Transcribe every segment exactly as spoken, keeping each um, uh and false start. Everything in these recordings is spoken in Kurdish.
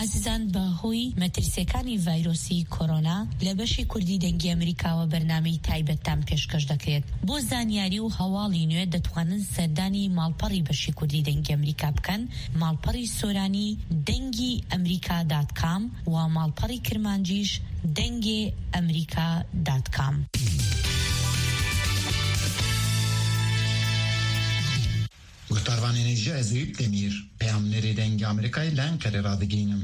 ئەزیزان، بە هۆی مەترسیەکانی ڤایرۆسی کۆرۆنا، لە بەشی کوردی دەنگی ئەمریکاوە بەرنامەی تایبەتتان پێشکەش دەکرێت. بۆ زانیاری و هەواڵی نوێ دەتوانن سەردانی ماڵپەڕی بەشی کوردی دەنگی ئەمریکا بکەن، ماڵپەڕی سۆرانی دەنگی ئەمریکا دات کام و ماڵپەڕی کرمانجیش دەنگێ ئەمریکا دات کام. Guhdarvanên hêja, ez Eyüp Demîr, peyamnerê Dengê Amerîkayê li Enqerê radigihînim.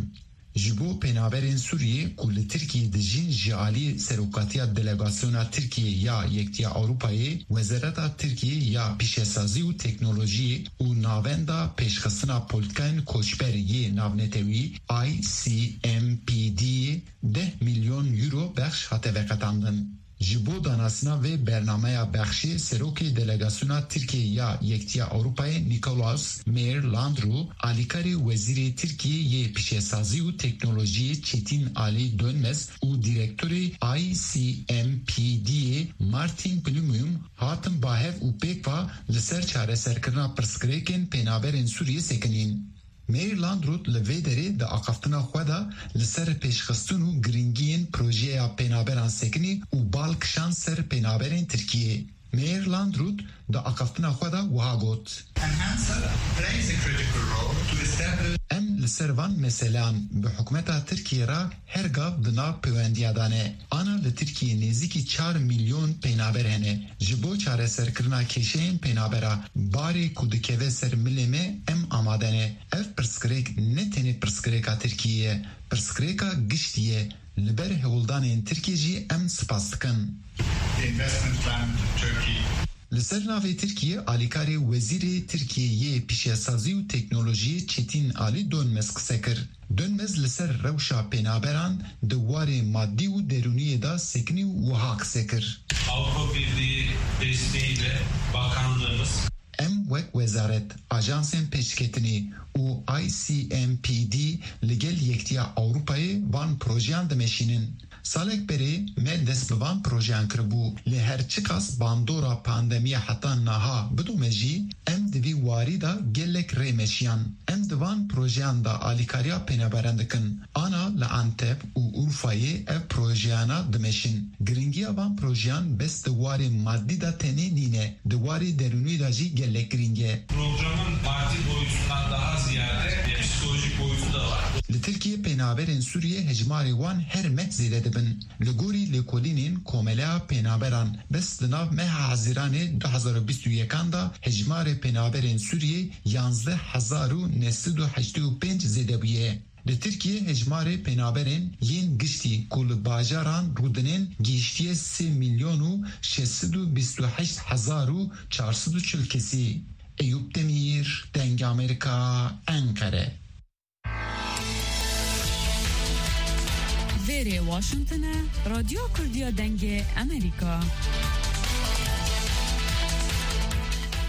Ji bo penaberên Sûriyê ku li Tirkiyê dijîn, ji alî Serokatiya Delegasyona Tirkiyê ya Yektiya Ewropayê, Wezareta Tirkiyê ya Pîşesazî û Teknolojiyê û Navenda Pêşxistina Polîtikayên Koçber yê Navnetewî, I C M P D, deh milyon euro bexş hate veqetandin. Ji bo danasina vê bernameya bexşê, serokê delegasyona Tirkiyê ya Yektiya Ewropayê Nikolaus Meyer Landru, alîkarê wezîrê Tirkiyê yê pîşesazî û teknolojiyê Çetin Ali Dönmez û direktorê I C M P D'yê Martin Blumum hatin ba hev û pêkva li ser çareserkirina pirsgirêkên penaberên Sûriyê sekinîn. Meir Landrut li vê derê di axaftina xwe de li ser pêşxistin û giringiyên projeya penaberan sekinî û bal kişand ser penaberên Tirkiyê. Meir Landrut di axaftina xwe de wiha got, Enhancer plays a critical role to establish Em li ser van meseleyan bi hikûmeta Tirkiyê re her gav di nav pêwendiya de ne. Ana li Tirkiyê nêzîkî çar milyon penaber hene. Ji bo çareserkirina kêşeyên penabera, barê ku dikeve ser milê me, em amade ne. Ev pirsgirêk ne tenê pirsgirêka Tirkiyê ye, pirsgirêka giştî ye. Li ber hewldanên Tirkiyê jî em spas dikin. The investment plan to Turkey. Li ser navê Tirkiyê, alîkarê Wezîrê Tirkiyê yê Pîşesazî û Teknolojiyê Çetin Ali Dönmez qise kir. Dönmez li ser rewşa penaberan di warê madî û derûniyê de sekinî û wiha qise kir. Avrupa Birliği desteğiyle bakanlığımız Em wek wezaret, ajansên pêşketinê û I C M P D li gel Yektiya Ewropayê van projeyan dimeşînin. Salek berê me dest bi van projeyan kiribû, lê her çiqas bandora pandemiya heta niha bidome jî, em di vî warî de gelek rê meşiyan. Em di van projeyan de alîkariya penaberan dikin. Ana li Antep û Urfayê ev projeyana dimeşin. Giringiya van projeyan bes di warê madî de tenê nîne, di warê derûnî de jî gelek girîng e. Programın maddi boyutundan daha ziyade psikolojik boyutu da var. Li Tirkiyê penaberên Sûriyê hejmarê wan her meh zêde dibin. Li gorî lêkolînên Komeleya Penaberan, bes di nav meha Hezîranê du hezar û bîst û yekan de hejmarê penaberên Sûriyê yanzdeh hezar û neh sed û heştê û pênc zêde bûye. Li Tirkiyê hejmarê penaberên yên giştî ku li bajaran rûdinên gihiştiye sê milyon û şeş sed û bîst û heşt hezar û çar sed û çil kesî. Eyûp Demîr, Dengê Amerîka, Enqere. Vêrê Washington e, Radyo Kurdiya Dengê Amerîka.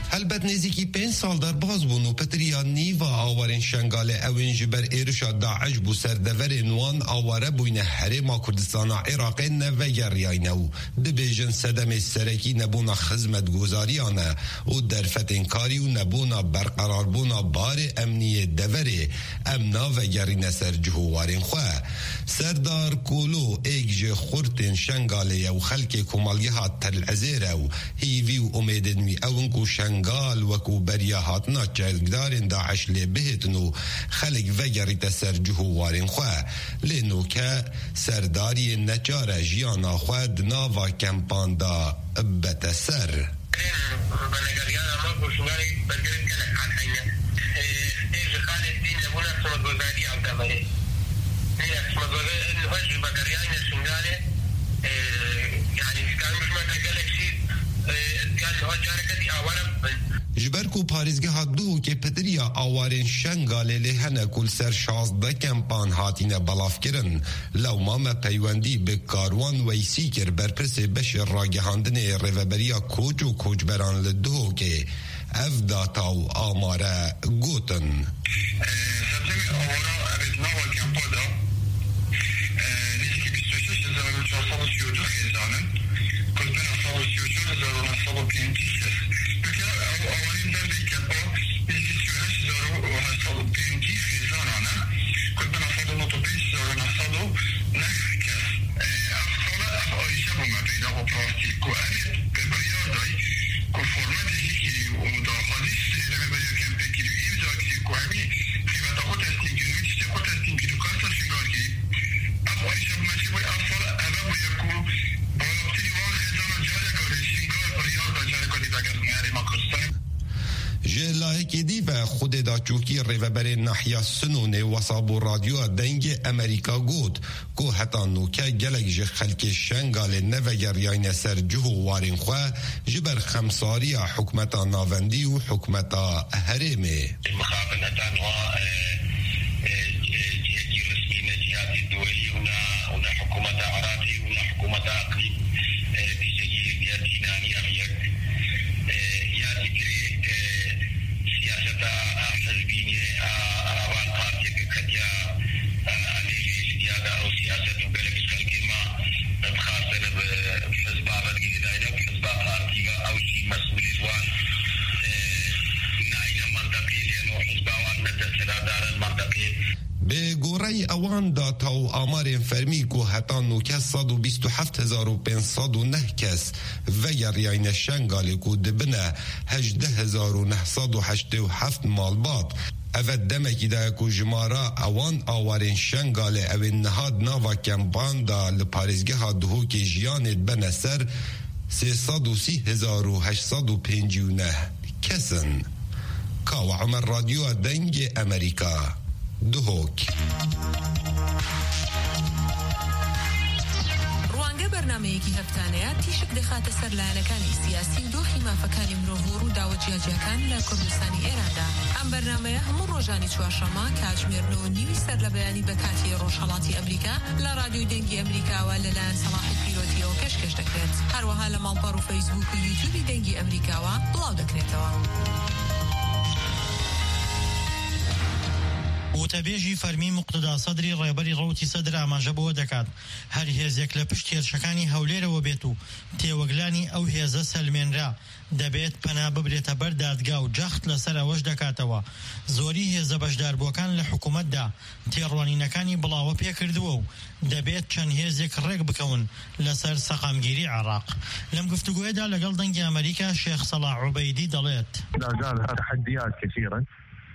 Helbet nêzîkî pênc sal derbas bûn û pitiriya nîva awarên Şengalê ew ên ji ber êrişa DAIŞ bû ser deverên wan aware bûyne Herêma Kurdistana Iraqê nevegeriyayne û dibêjin sedemê serekî nebûna xizmetguzariyan e û derfetên karî û nebûna berqerarbûna barê emnî yê deverê. Em navegerîne ser cih û warên xwe. Serdar Kolo êk ji xurtên Şengalê ye û xelkê komelgeha Tel Ezêr e û hîvî û umêdên wî ew in ku Şengal wekû beriya hatina çekdarên DAIŞ lê bihêtin û xelk vegerîte ser cih û warên xwe. Lê noke serdariyê neçar e jiyana xwe di nava kempan de bete ser. Venegeriyana me ku Şingalê bergirên gelek hat heyne. Ê, ê ji xalê dîn nebûna xizmetgozarî ew deverê. Nîne xizmetgozarî niha ji vegeriyayne Şingalê, ê, yanî dikarin bijmane gelek jî, ê, yan niha careke dî aware bibin. Ji ber ku parêzgeha Duhokê pitiriya awarên Şengalê lê hene ku li ser şazdeh kempan hatine belavkirin. Lewma me peywendî bi Karwan Weysî kir, berpirsê beşê ragihandinê Rêveberiya Koç û Koçberan li Duhokê. Ev data û amare gotin. Sedemê awara ev ê di nava kempa de, e, nêzîkî bîst û şeş hezar û çar sed û sî û du xêzan in, ku li bina sed û sî û çar hezar û neh sed û pêncî kes. Peke ew awarên ber vê kempa nêzîkî sî û heşt hezar û heşt sed û pêncî xêzanan e, ku li bina sed û neh Wemî qîmeta xwe teslîm kir, wî tiştê xwe teslîm kir û kasa Şingalkê. Ev êşa me çi bûye, ev sal ev bûye ku balaftirî wan xêzana careka dî Şingal biryar da careka dî vegertine Herêma Kurdistan. Ji layekî dî ve xwedê daçûkî rêveberê nahiya Sinûnê wesa bo Radyoya Dengê Amerîka got ku heta nûke gelek ji xelkê Şengalê nevegeriyayne ser cih û warên xwe ji ber xemsariya hikûmeta navendî û hikûmeta herêmê. Mixabin heta niha, e, e, e, cihekî resmî ne cihazê duwelî û ne, û ne hikûmeta Iraqê û ne hikûmeta Eqlîm, e, tiştekî yekdiya dînaniya yek, e, ya zikirê, e, siyaseta hizbînê, a, a van partiyeke ketiya, e, alê lê ji diya da ew siyaset û gelek ji xelkê me dixwazin bi hizba ve digihîdayne û hizba partî ve ew jî mesûlê ji wan, e, nayne mentiqê lê no hizba wan ne desthilatdar in mentiqê. Bi goreyî ewan data û amarên fermî ku heta nûke sed û bîst û heft hezar û pênc sed û neh kes vegeriyayne Şengalê ku dibine hejdeh hezar û neh sed û heştê û heft malbat. Eve demekî daye ku jimara ewan awarên Şengalê ewên niha di nava kempan de li parêzgeha Duhokê jiyanê dibene ser sê sed û sî hezar û heşt sed û pêncî û neh kes in. Kawa Omer, Radyoya Dengê Amerîka, Duhok. ڕوانگە بەرنامەیەکی هەفتانەیە تیشک دەخاتە سەر لایەنەکانی سیاسی و دۆخی مافەکانی مرۆڤ و ڕووداوە جیاجیاکان لە کوردستانی ئێراندا. ئەم بەرنامەیە هەموو ڕۆژانی چوارشەممە کاتژمێر نۆ و نیوی سەر لە بەیانی بە کاتی ڕۆژهەڵاتی ئەمریکا لە ڕادیۆی دەنگی ئەمریکاوە لەلایەن سەڵاحی پیرۆتیەوە پێشکەش دەکرێت. هەروەها لە ماڵپەڕ و فەیسبوک و یوتیوبی دەنگی ئەمریکاوە بڵاو دەکرێتەوە. وتەبێژی فەرمی موقتەدا سەدری ڕێبەری ڕەوتی سەدر ئاماژە بەوە دەکات، هەر هێزێک لە پشت هێرشەکانی هەولێرەوە بێت و تێوەگلانی ئەو هێزە سەلمێنرا، دەبێت پەنا ببرێتە بەر دادگا و جەخت لەسەر ئەوەش دەکاتەوە، زۆری هێزە بەشداربووەکان لە حکوومەتدا تێڕوانینەکانی بڵاوە پێکردووە و دەبێت چەند هێزێک ڕێک بکەون لەسەر سەقامگیری عێراق. لەم گفتوگویەدا لەگەڵ دەنگی ئەمریکا شێخ سەڵاح عوبەیدی دەڵێت، لا زال تحديات كثيرة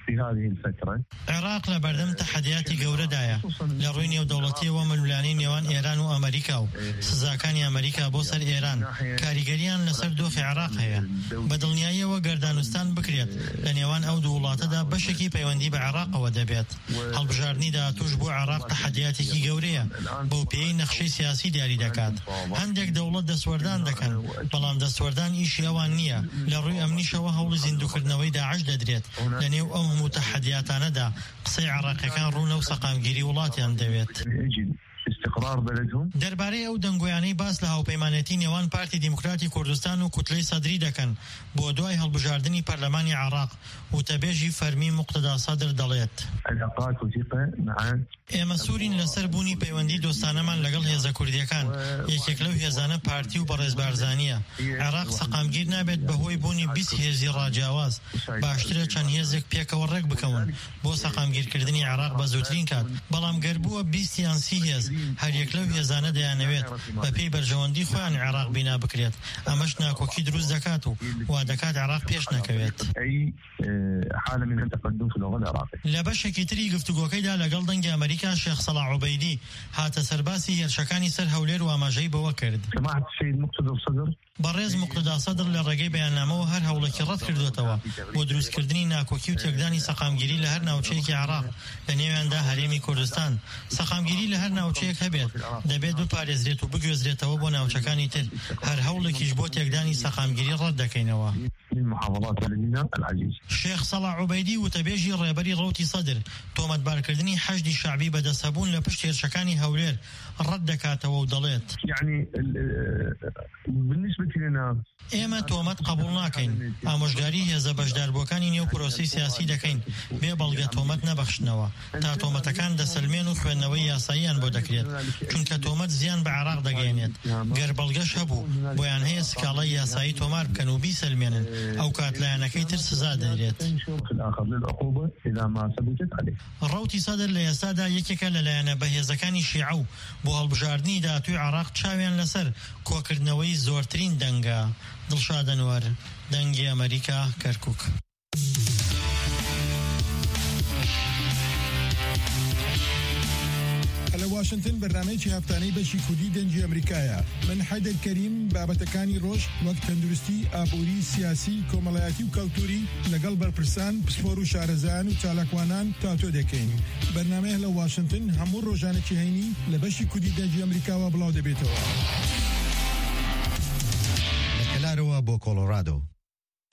في هذه الفترة. عێراق لە بەردەم تەحەدیاتی گەورەدایە لە ڕووی نێودەوڵەتیەوە، ململانی نێوان ئێران و ئەمریکا و سزاکانی ئەمریکا بۆ سەر ئێران کاریگەریان لەسەر دۆخی عێراق هەیە. بە دڵنیاییەوە گەردانوستان بکرێت لە نێوان ئەو دوو وڵاتەدا بەشێکی پەیوەندی بە عێراقەوە دەبێت. هەڵبژاردنی داهاتووش بۆ عێراق تەحەدیاتێکی گەورەیە بەو پێی نەخشەی سیاسی دیاری دەکات. هەندێک دەوڵەت دەستوەردان دەکەن، بەڵام دەستوەردان ئیشی ئەوان نییە. لە ڕووی ئەمنیشەوە هەوڵی زیندوکردنەوەی داعش دەدرێت. لە نێو ئەو هەموو تەحەدیاتانەدا قسەی عێراقیەکان ڕوونە و سەقامگیری وڵاتیان دەوێت. استقرار بلدهم. دەربارەی ئەو دەنگۆیانەی باس لە هاوپەیمانێتی نێوان پارتی دیموکراتی کوردستان و کوتلەی سەدری دەکەن بۆ دوای هەڵبژاردنی پەرلەمانی عێراق، وتەبێژی فەرمی موقتەدا سەدر دەڵێت، علاقات وثيقة مع ئێمە سوورین لەسەر بوونی پەیوەندی دۆستانەمان لەگەڵ هێزە کوردیەکان. یەکێک لەو هێزانە پارتی و بەڕێز بارزانیە. عێراق سەقامگیر نابێت بەهۆی بوونی بیست هێزی ڕاجیاواز. باشترە چەند هێزێک پێکەوە ڕێک بکەون بۆ سەقامگیرکردنی عێراق بە زووترین کات. بەڵام گەر بووە بیست یان سی هێز، هەر یەک لەو هێزانە دەیانەوێت بە پێی بەرژەوەندی خۆیان عێراق بینا بکرێت. ئەمەش ناکۆکی دروست دەکات و وا دەکات عێراق پێش نەکەوێت. أي، آه، حالة من التقدم في الوضع العراقي. لە بەشێکی تری گفتوگۆکەیدا لەگەڵ دەنگی ئەمریکا شێخ سەڵاح عوبەیدی هاتە سەرباسی هێرشەکانی سەر هەولێر و ئاماژەی بەوە کرد، سماحة السيد مقتدى الصدر. بەڕێز مقتدا سەدر لە ڕێگەی بەیاننامەوە هەر هەوڵێکی ڕەت کردووەتەوە بۆ دروستکردنی ناکۆکی و تێکدانی سەقامگیری لە هەر ناوچەیەکی عێراق، لە نێویاندا هەرێمی کوردستان. سەقامگیری لە هەر ناوچەیەک هەبێت، دەبێت بپارێزرێت و بگوێزرێتەوە بۆ ناوچەکانی تر. هەر هەوڵێکیش بۆ تێکدانی سەقامگیری ڕەت دەکەینەوە. من محافظات بلدنا العزيز. شێخ سەڵاح عوبەیدی، وتەبێژی ڕێبەری ڕەوتی سەدر، تۆمەتبارکردنی حەشدی شەعبی بە دەستهەبوون لە پشت هێرشەکانی هەولێر ڕەت دەکاتەوە و دەڵێت، يعني، ال-، بالنسبة لنا، ئێمە تۆمەت قبوڵ ناکەین. ئامۆژگاری هێزە بەشداربووەکانی نێو پرۆسەی سیاسی دەکەین. بێ بەڵگە تۆمەت نەبەخشنەوە. تا تۆمەتەکان دەسەلمێن و خوێندنەوەی یاساییان بۆ دەکرێت. چونکە تۆمەت زیان بە عێراق دەگەیەنێت. گەر بەڵگەش هەبوو، بۆیان هەیە سکاڵای یاسایی تۆمار بکەن و بیسەلمێنن. ئەو کات لایەنەکەی تر سزا دەدرێت. في الآخر للعقوبة إذا ما ثبتت عليه. ڕەوتی سەدر لە ئێستادا یەکێکە لە لایەنە بەهێزەکانی شیعە و بۆ هەڵبژاردنی داهاتووی عێراق چاویان لەسەر کۆکردنەوەی زۆرترین دەنگە. دڵشاد ئەنوەر، دەنگی ئەمریکا، کەرکووک. واشنتن بەرنامەیەکی هەفتانەی بەشی کوردی دەنگی ئەمریکایە. من حەیدەر کەریم بابەتەکانی ڕۆژ وەک تەندروستی، ئابووری، سیاسی، کۆمەڵایەتی و کەلتوری لەگەڵ بەرپرسان، پسپۆر و شارەزایان و چالاکوانان تاتۆ دەکەین. بەرنامەیە لە واشنتن هەموو ڕۆژانێکی هەینی لە بەشی کوردی دەنگی ئەمریکاوە بڵاو دەبێتەوە. لە کەلارەوە بۆ کۆلۆرادۆ.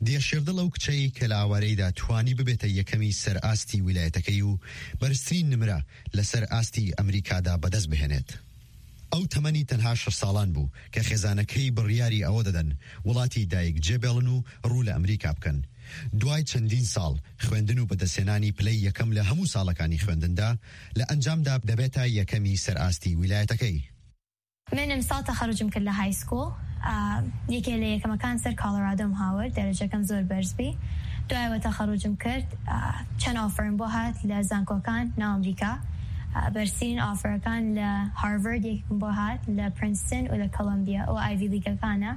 دیە شێردڵ ئەو کچەی کە لە ئاوارەیدا توانی ببێتە یەکەمی سەر ئاستی ویلایەتەکەی و بەرزترین نمرە لەسەر ئاستی ئەمریکادا بەدەست بهێنێت. ئەو تەمەنی تەنها شەش ساڵان بوو کە خێزانەکەی بڕیاری ئەوە دەدەن وڵاتی دایک جێبێڵن و ڕوو لە ئەمریکا بکەن. دوای چەندین ساڵ خوێندن و بەدەستهێنانی پلەی یەکەم لە هەموو ساڵەکانی خوێندندا، لە ئەنجامدا دەبێتە یەکەمی سەر ئاستی ویلایەتەکەی. من امسال تخرجم کرد لە های سکول. ئا، یەکێ لە یەکەمەکان سەر کۆلۆرادۆم هاورد، دەرەجەکەم زۆر بەرز بی. دوایەوە تخرجم کرد، ئا، چەند ئۆفرم بۆ هات لە زانکۆکان ناو ئەمریکا. ئا، بەرزترین ئۆفرەکان لە هارڤارد یەکم بۆ هات، لە پرینستن و لە کۆلۆمبیا و ئایڤی لیگەکانە.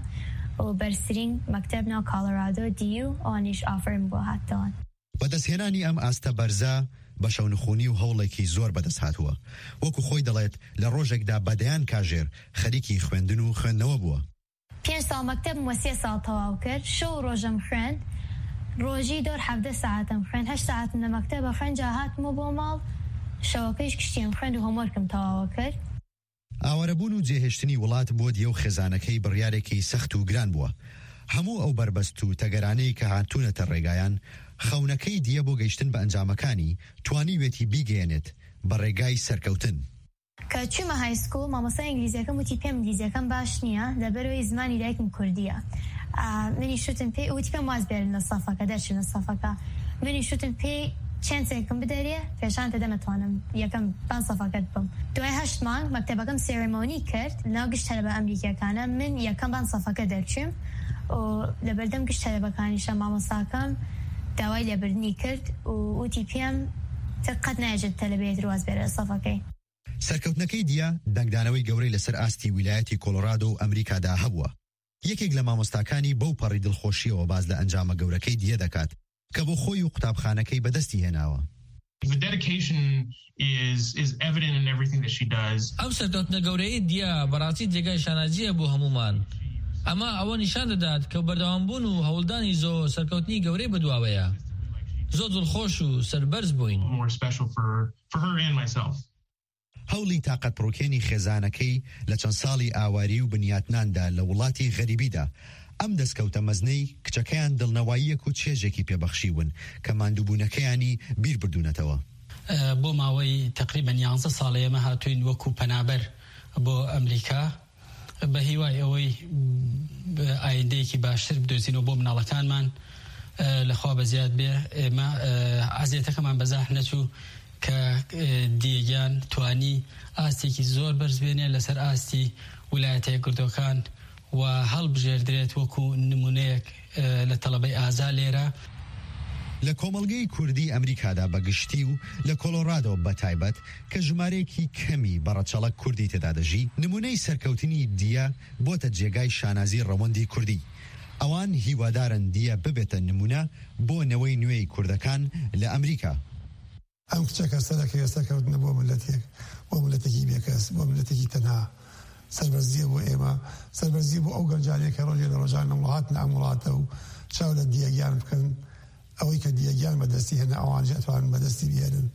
و بەرزترین مەکتەب ناو کۆلۆرادۆ دی یو، ئەوانیش ئۆفرم بۆ هاتەوە. بەدەستهێنانی ئەم ئاستە بەرزە بە شەونخوونی و هەوڵێکی زۆر بەدەست هاتووە. وەکو خۆی دەڵێت، لە ڕۆژێکدا بە دەیان کاژێر خەریکی خوێندن و خوێندنەوە بووە. پێنج ساڵ مەکتەبم وە سێ ساڵ تەواو کرد. شەو و ڕۆژم خوێند. ڕۆژی دۆر حەڤدە سەعاتم خوێند. هەشت سەعاتم لە مەکتەبە خوێند، جا هاتمە بۆ ماڵ. شەوەکەیش گشتیم خوێند و هۆمۆرکم تەواو کرد. ئاوارەبوون و جێهێشتنی وڵات بۆ دیە و خێزانەکەی بڕیارێکی سەخت و گران بووە. هەموو ئەو بەربەست و تەگەرانەی کە هاتوونەتە ڕێگایان، خەونەکەی دیە بۆ گەیشتن بە ئەنجامەکانی توانیوێتی بیگەیەنێت بە ڕێگای سەرکەوتن. کە چوومە های سکول، مامۆستای ئینگلیزیەکەم وتی پێم ئینگلیزیەکەم باش نییە، لەبەرەوەی زمانی دایکم کوردیە. ئا، منی شوتم پێ، وتی پێم واز بێرن لە سەفەکە، دەرچن لە سەفەکە. منی شوتم پێ، چانسێکم بدەرێ، پێشان تێ دەمەتوانم یەکەم بان سەفەکەت بم. دوای هەشت مانگ مەکتەبەکەم سێرێمۆنی کرد، ناو گشت تەلەبە ئەمریکیەکانە، من یەکەم بان سەفەکە دەرچووم. و لەبەردەم گشت تەلەبەکانیشە مامۆستاکەم داوای لێبردنی کرد و وتی پێم تر قەت نایەژێت تەلەبەیەتر واز بێرە لە سەفەکەی. سەرکەوتنەکەی دیە دەنگدانەوەی گەورەی لەسەر ئاستی ویلایەتی کۆلۆرادۆ و ئەمریکادا هەبووە. یەکێک لە مامۆستاکانی بەو پەڕی دڵخۆشیەوە باز لە ئەنجامە گەورەکەی دیە دەکات کە بۆ خۆی و قوتابخانەکەی بەدەستی هێناوە. The dedication is, is evident in everything that she does. ئەم سەرکەوتنە گەورەی دیە بەڕاستی جێگای شانازیە بۆ هەمومان. ئەمە ئەوە نیشان دەدات کە بەردەوامبوون و هەوڵدانی زۆ سەرکەوتنی گەورەی بەدواوەیە. زۆر دڵخۆش و سەربەرز بووین. More special for, for her and myself. هەوڵی تاقەت پڕوکێنی خێزانەکەی لە چەند ساڵی ئاواری و بنیاتناندا لە وڵاتی غەریبیدا، ئەم دەستکەوتە مەزنەی کچەکەیان دڵنەواییەک و چێژێکی پێبەخشیون کە ماندووبوونەکەیانی بیر بردوونەتەوە. بۆ ماوەی تەقریبەن یانزە ساڵە ئێمە هاتوین وەکو پەنابەر بۆ ئەمریکا، بە هیوای ئەوەی ئایندەیەکی باشتر بدۆزینەوە بۆ مناڵەکانمان. لەخوا بە زیاد بێ، ئێمە ئەزیەتەکەمان بە زاح نەچوو کە دیەگیان توانی ئاستێکی زۆر بەرز بێنێ لەسەر ئاستی ویلایەتە یەکگرتووەکان و هەڵبژێردرێت وەکو نمونەیەک لە تەڵەبەی ئازا لێرە. لە کۆمەڵگەی کوردی ئەمریکادا بە گشتی و لە کۆلۆرادۆ بە تایبەت، کە ژمارەیەکی کەمی بەڕەچەڵەک کوردی تێدا دەژی، نمونەی سەرکەوتنی دیە بۆتە جێگای شانازی ڕەوەندی کوردی. ئەوان هیوادارن دیە ببێتە نمونە بۆ نەوەی نوێی کوردەکان لە ئەمریکا. ئەم کچەکە سەرەکەوێ سەرکەوتنە بۆ ملەتێک، بۆ ملەتێکی بێکەس، بۆ ملەتێکی تەنها. سەربەرزیە بۆ ئێمە، سەربەرزیە بۆ ئەو گەنجانەی کە ڕۆژێ لە ڕۆژان لە وڵات لە ئەم وڵاتە و چاو لە دیەگیان بکەن. ئەوەی کە دیەگیان بەدەستی هێنا، ئەوانیش ئەتوانن بەدەستی بێنن.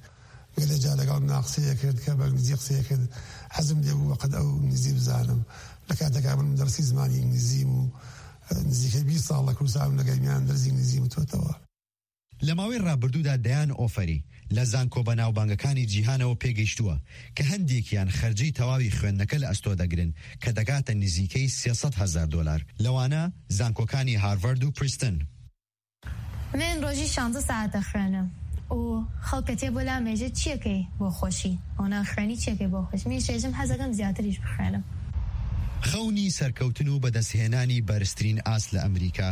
گەلێ جار لەگەڵ منا قسەیە کرد کە بە ئینگلیزی قسەیە کرد، حەزم لێ بوو بەقەد ئەو ئینگلیزی بزانم. لە کاتێکا من دەرسی زمانی ئینگلیزیم و نزیکەی بیست ساڵ لە کوردستان لەگەڵ میان دەرسی ئینگلیزی وتۆتەوە. لە ماوەی ڕابردوودا دەیان ئۆفەری لە زانکۆ بەناوبانگەکانی جیهانەوە پێگەیشتووە کە هەندێکیان خەرجی تەواوی خوێندنەکە لە ئەستۆ دەگرن کە دەگاتە نزیکەی سێ سەد هەزار دۆلار، لەوانە زانکۆکانی هارڤارد و پرینستن. من ڕۆژی شانزە سەعات دەخوێنم و خەڵکە تێ بۆ لام ئێژێ چیەکەی بۆ خۆشی؟ ئەوە ناخوێنی چیەکەی بۆ خۆشی؟ منیش ئێژم حەزەکەم زیاتریش بخوێنم. خەونی سەرکەوتن و بەدەستهێنانی بەرزترین ئاست لە ئەمریکا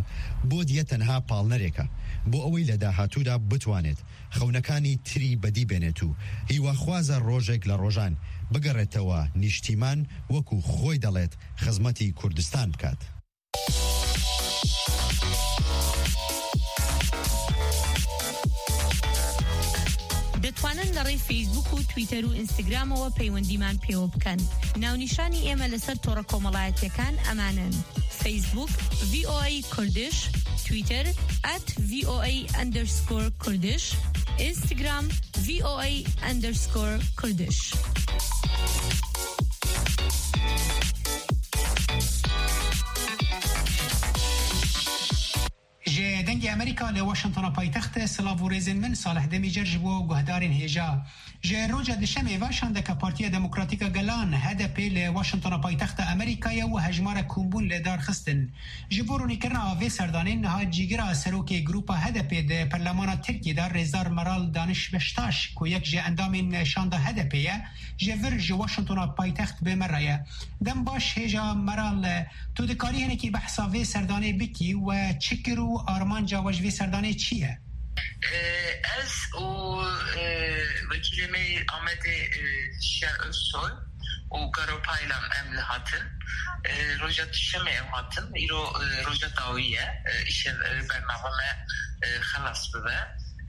بۆ دیە تەنها پاڵنەرێکە بۆ ئەوەی لە داهاتوودا بتوانێت خەونەکانی تری بەدی بێنێت و هیواخوازە ڕۆژێک لە ڕۆژان بگەڕێتەوە نیشتیمان، وەکو خۆی دەڵێت، خزمەتی کوردستان بکات. دەتوانن لە ڕێی فەیسبوک و تویتەر و ئینستاگرامەوە پەیوەندیمان پێوە بکەن. ناونیشانی ئێمە لەسەر تۆڕە کۆمەڵایەتیەکان ئەمانن: فەیسبوک، V O A Kurdish، تویتەر، at V O A underscore Kurdish، ئینستاگرام، V O A underscore Kurdish. Ji Dengê Amerîka li Washingtona paytext, silav û rêzên min, Salih Demîcer ji bo guhdarên hêja. Ji roja Dişemê ve şandeka Partiya Demokratîk a Gelan, H D P, li Washingtona paytexta Amerîkayê û hejmara kombûn li dar xistin. Ji bo ronîkirina vê serdanê niha cîgira serokê grûpa H D P di Perlemana Tirkiyê de, Rêzdar Meral Daniş Beştaş, ku yek ji endamên şanda H D P ye, ji vir ji Washingtona paytext bi me re ye. Dem baş hêja Meral, tu dikarî hinekî behsa vê serdanê bikî, we çi kir û armanca we ji vê serdanê çi ye? E, ez û, e, wekîlê me yê Amedê, e, Şiyan Özsoy û Garo Paylan em li hatin. E, roja Duşemê em hatin. Îro, e, roja dawî ye. E, îşev, e, bername me, e, xelas bibe.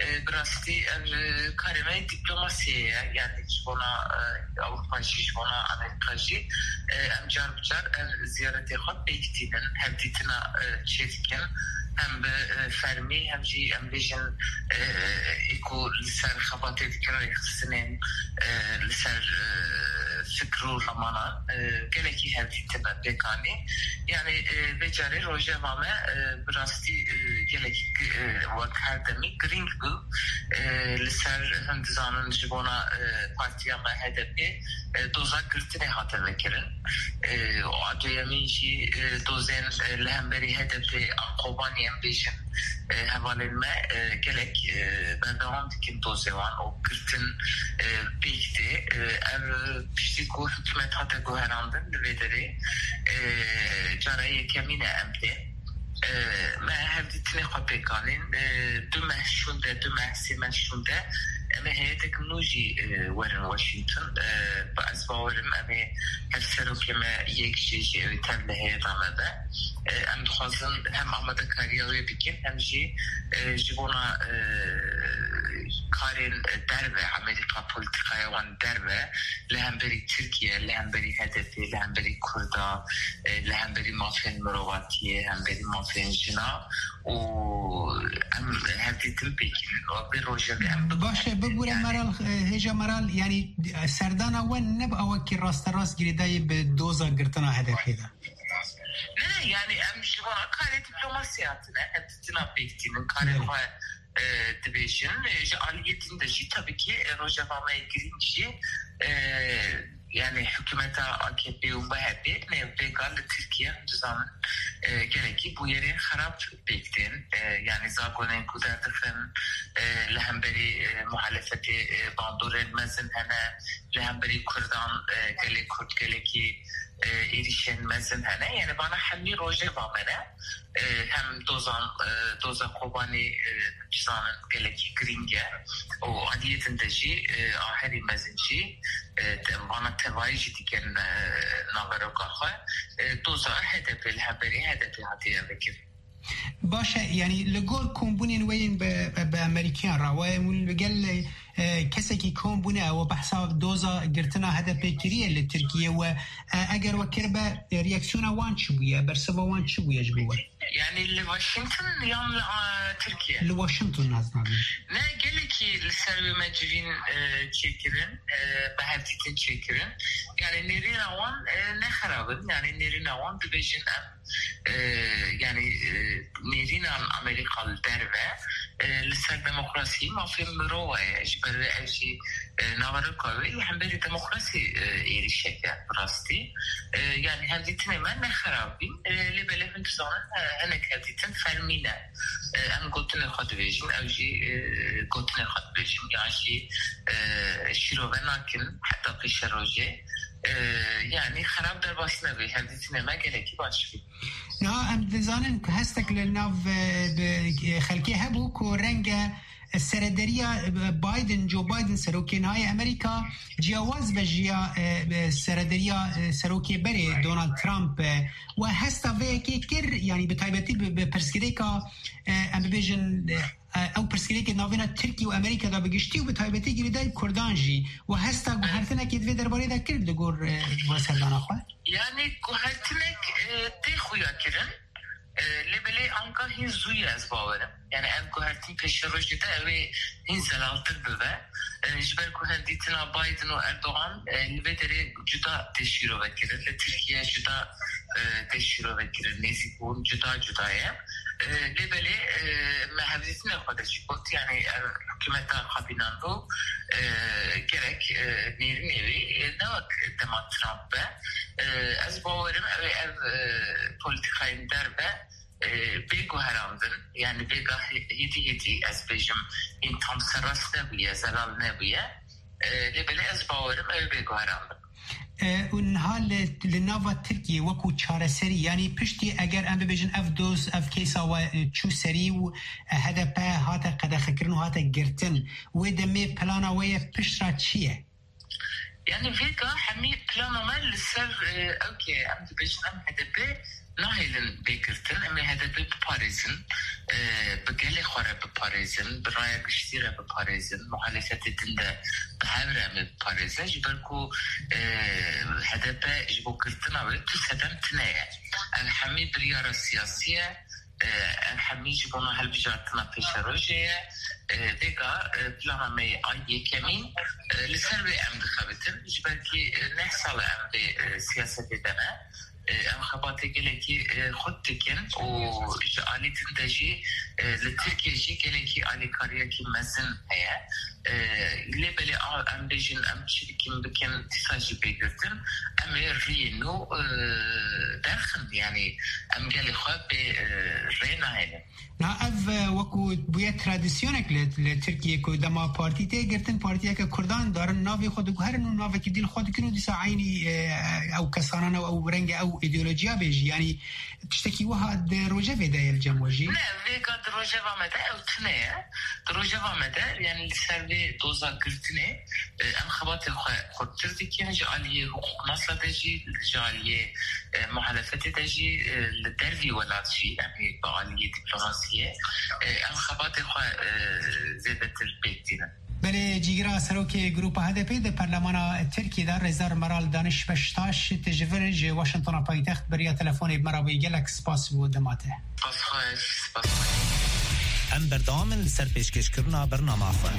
E, bi rastî ev, e, karê me dîplomasiyê ye. Yani ji bona, e, Ewropa jî, ji bona Amerîka jî, e, em car bi car ev ziyaretê xwe pêk tînin, hevdîtina, e, çêdikin. Hem bi, e, fermî, hem jî em bêjin, e, ê ku li ser xebatê dikin, rêxistinên, e, li ser, e, fikr û ramanan, e, gelekî hevdîtin me pêk anî. Yani, e, vê carê rojeva me, e, bi rastî, e, gelekî, e, wek her demî girîng bû. E, li ser, hûn dizanin, ji bona, e, partiya me H D P, e, doza girtinê hate vekirin. E, û a duyemîn jî, e, dozên, e, li hemberî H D P a Kobanî, em bêjin, e, hevalên me, e, gelek, e, berdewam dikin dozê wan û girtin, e, pêk tê. E, ev piştî ku hikûmet hate guherandin li vê derê, e, cara yekemîn e em tê. E, me hevdîtinê xwe pêk anîn. E, du meh şûnde, du meh, sê meh şûnde, em ê heyetek nû jî, e, werin Washington. E, bi ez bawerim em ê hevserokê me yek jê jî ew ê tev li heyeta me be. E, em dixwazin hem amadekariya wê bikin, hem jî, e, ji bona, e, karên derve, Amerîka, polîtîkaya wan derve, li hemberî Tirkiye, li hemberî H D P, li hemberî Kurda, e, li hemberî mafên mirovatiyê, hemberî mafên jina û em hevdîtin pêk in. Û vê rojevê em Baş e, bibûre Meral, e, hêja Meral, yani, e, serdana we ne bi awakî rasterast girêdayî bi doza girtina H D P de? Ne, ne, yani em ji vana karê diplomasiyê hatine, hevdîtina pêk tînin, karê Evet. xwe, e, dibêjin. E, ji aliyê din de jî tabii ki, e, rojeva me yê girîng jî, e, yani hikûmeta A K P û M H P ne vêga li Tirkiye, hûn dizanin, e, gelekî bûyerên xerab pêk tên. E, yani zagonên ku derdixin, e, li hemberî, e, muhalefetê, e, bandorên mezin hene, li hemberî Kurdan, e, gelê Kurd gelekî, e, êrîşên mezin hene. Yani vana hemî rojeva me ne. E, hem dozan, e, doza Kobanî, e, dizanin gelekî girîng e. Û aliyê din de jî, e, a herî mezin jî, e, te-, vana tevayî jî dikin, e, naveroka xwe. E, doza H D P li hemberî H D P hatiye vekirin. Baş e, yani li gor kombûnên we yên bi, bi, bi Amerîkiyan re we hûn li gel, e, kesekî kom bûne, we behsa doza girtina H D P kiriye li Tirkiye we, e, eger we kiribe, e, reaksiyona wan çi bûye, bersiva wan çi bûye ji bo we? Yani li Washington yan li, a, Tirkiye? Li Washington, ez nabînim. Ne, gelekî li ser wê me civîn, e, çêkirin, e, me hevdîtin çêkirin. Yani nêrîna wan, e, ne xerab in. Yani nêrîna wan dibêjin em, e, yani, e, nêrînan Amerîka li derve, e, li ser demokrasî, mafên mirova ye. Ji ber wê ev jî, e, naveroka wê li hemberî demokrasî, e, êrîşek e bi rastî. E, yani hevdîtinê me ne xerab bîn. E, lê belê hûn dizanin, e, hinek hevdîtin fermî ne. E, em gotinê xwe dibêjin, ew jî, e, gotinê xwe dibêjin, yan jî, e, şîrove nakin heta pêşerojê. E, yani xerab derbas nebî, hevdîtinê me gelekî baş bî. Niha em dizanin ku hestek li nav, e, bi, e, xelkê hebû ku renge serederiya, e, Biden, Joe Biden, serokê niha yê Amerîka, ciyawaz be ji ya, e, e, serederiya, e, serokê berê Donald Trump, e, we hesta vê yekê kir, yani bi taybetî bi, bi pirsgirêka, e, em bibêjin, e, Ew pirsgirêkê navêna Tirkî û Amerîka de bi giştî û bi taybetî girêdayî Kurdan jî we hesta guhertinekê di vê derbarê de kir li gor, e, we serdana xwe? Yani guhertinek, e, tê xuya kirin. E, lê belê anka hîn zû ye ez bawerim. Yani ev guhertin pêşerojê de ew ê hîn zelaltir bibe. E, ji ber ku hevdîtina Biden û Erdogan, e, li vê derê cuda tê şîrove kirin, li Tirkiye cuda, e, tê şîrove kirin, nêzîkbûn cuda cuda ye. E, lê belê, e, me hevdîtinê xwe de jî got, yani ev hikûmeta xapînando, e, gerek, e, nêrînê wî, e, ne wek dema Trump be. E, ez bawerim ew ê ev, e, polîtîkayên derve, e, bê guherandin, yani vêga hê-, hêdî hêdî ez bêjim, hîn tam serrast nebûye, zelal nebûye. E, lê belê ez bawerim ew ê bê guherandin. E, û niha li, li nava Tirkiyê wekû çareserî, yanî piştî eger em bibêjin ev doz, ev keysa we, e, çû serî û, e, H D P hate qedexekirin û hate girtin, wê demê plana we ye pişt re çi ye? Yani vêga hemî plana me li ser, e, ew ke em dibêjin em H D P nahêlin bê girtin, em ê H D P biparêzin, e, bi gelê xwe re biparêzin, bi raya giştî re biparêzin, muhalefetê din de bi hev re em ê biparêzin. Ji ber ku, e, H D P ji bo girtina wê tu sedem tune ye. Ev hemî biryara siyasî ye. E, ev hemî ji bona hilbijartina pêşerojê ye. E, vêga, e, plana me yê ay yekemîn, e, li ser wê em dixebitin. Ji ber kî, e, neh sal e em vê, e, siyasetê de ne. E, em xebatê gelekî, e, xurt dikin û ji alî din de jî, e, li Tirkiye jî gelekî alîkariyekî mezin heye. E, lê belê a, em bêjin em çi dikin bikin, dîsa jî bê girtin, em ê riyê nû, e, derxin, yani em gelê xwe bê, e, rê nahêlin. Na ev, e, wekû bûye tradisyonek li, li Tirkiye ku dema partî tê girtin, partiyeke Kurdan darin navê xwe diguherin û navekî dî li xwe dikin û dîsa eynî, e, ew kesanan û ew renge ew îdeolojiya bê jî. Yani tiştekî wiha di rojevê de ye li cem we jî? Ne, vêga di rojeva me de ew tune ye. Di rojeva me de, yani li ser vê doza girtinê, e, em xebatê xwe xurttir dikin, ji aliyê hiqûqnasa de jî, ji aliyê, e, muhalefetê de jî, e, li dervî welat jî, em ê bi aliyê dîplomasiyê, e, em xebatê xwe, e, zêdetir pêk tînin. Belê, cîgira serokê Grupa H D P di Perlemana Tirkiyê de Rêzdar Meral Daniş Beştaş, tu ji vir ji Washingtona paytext bi riya telefonê bi me re bûyî, gelek spas bo dema te. Spas xweş, spas xweş. Em berdewam in li ser pêşkêşkirina bernama xwe.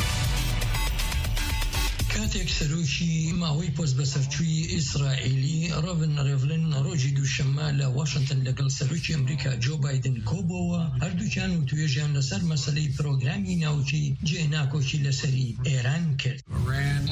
Katek serokî mawî pozbeserçûyî Îsraîlî Reuven Rivlin rojî duşemma li Washington legel serokî Amerîka Joe Biden kobowa, herdûkan û tuêjiyan li ser meseleyî programî navkî cênakokî li serî Êran kir.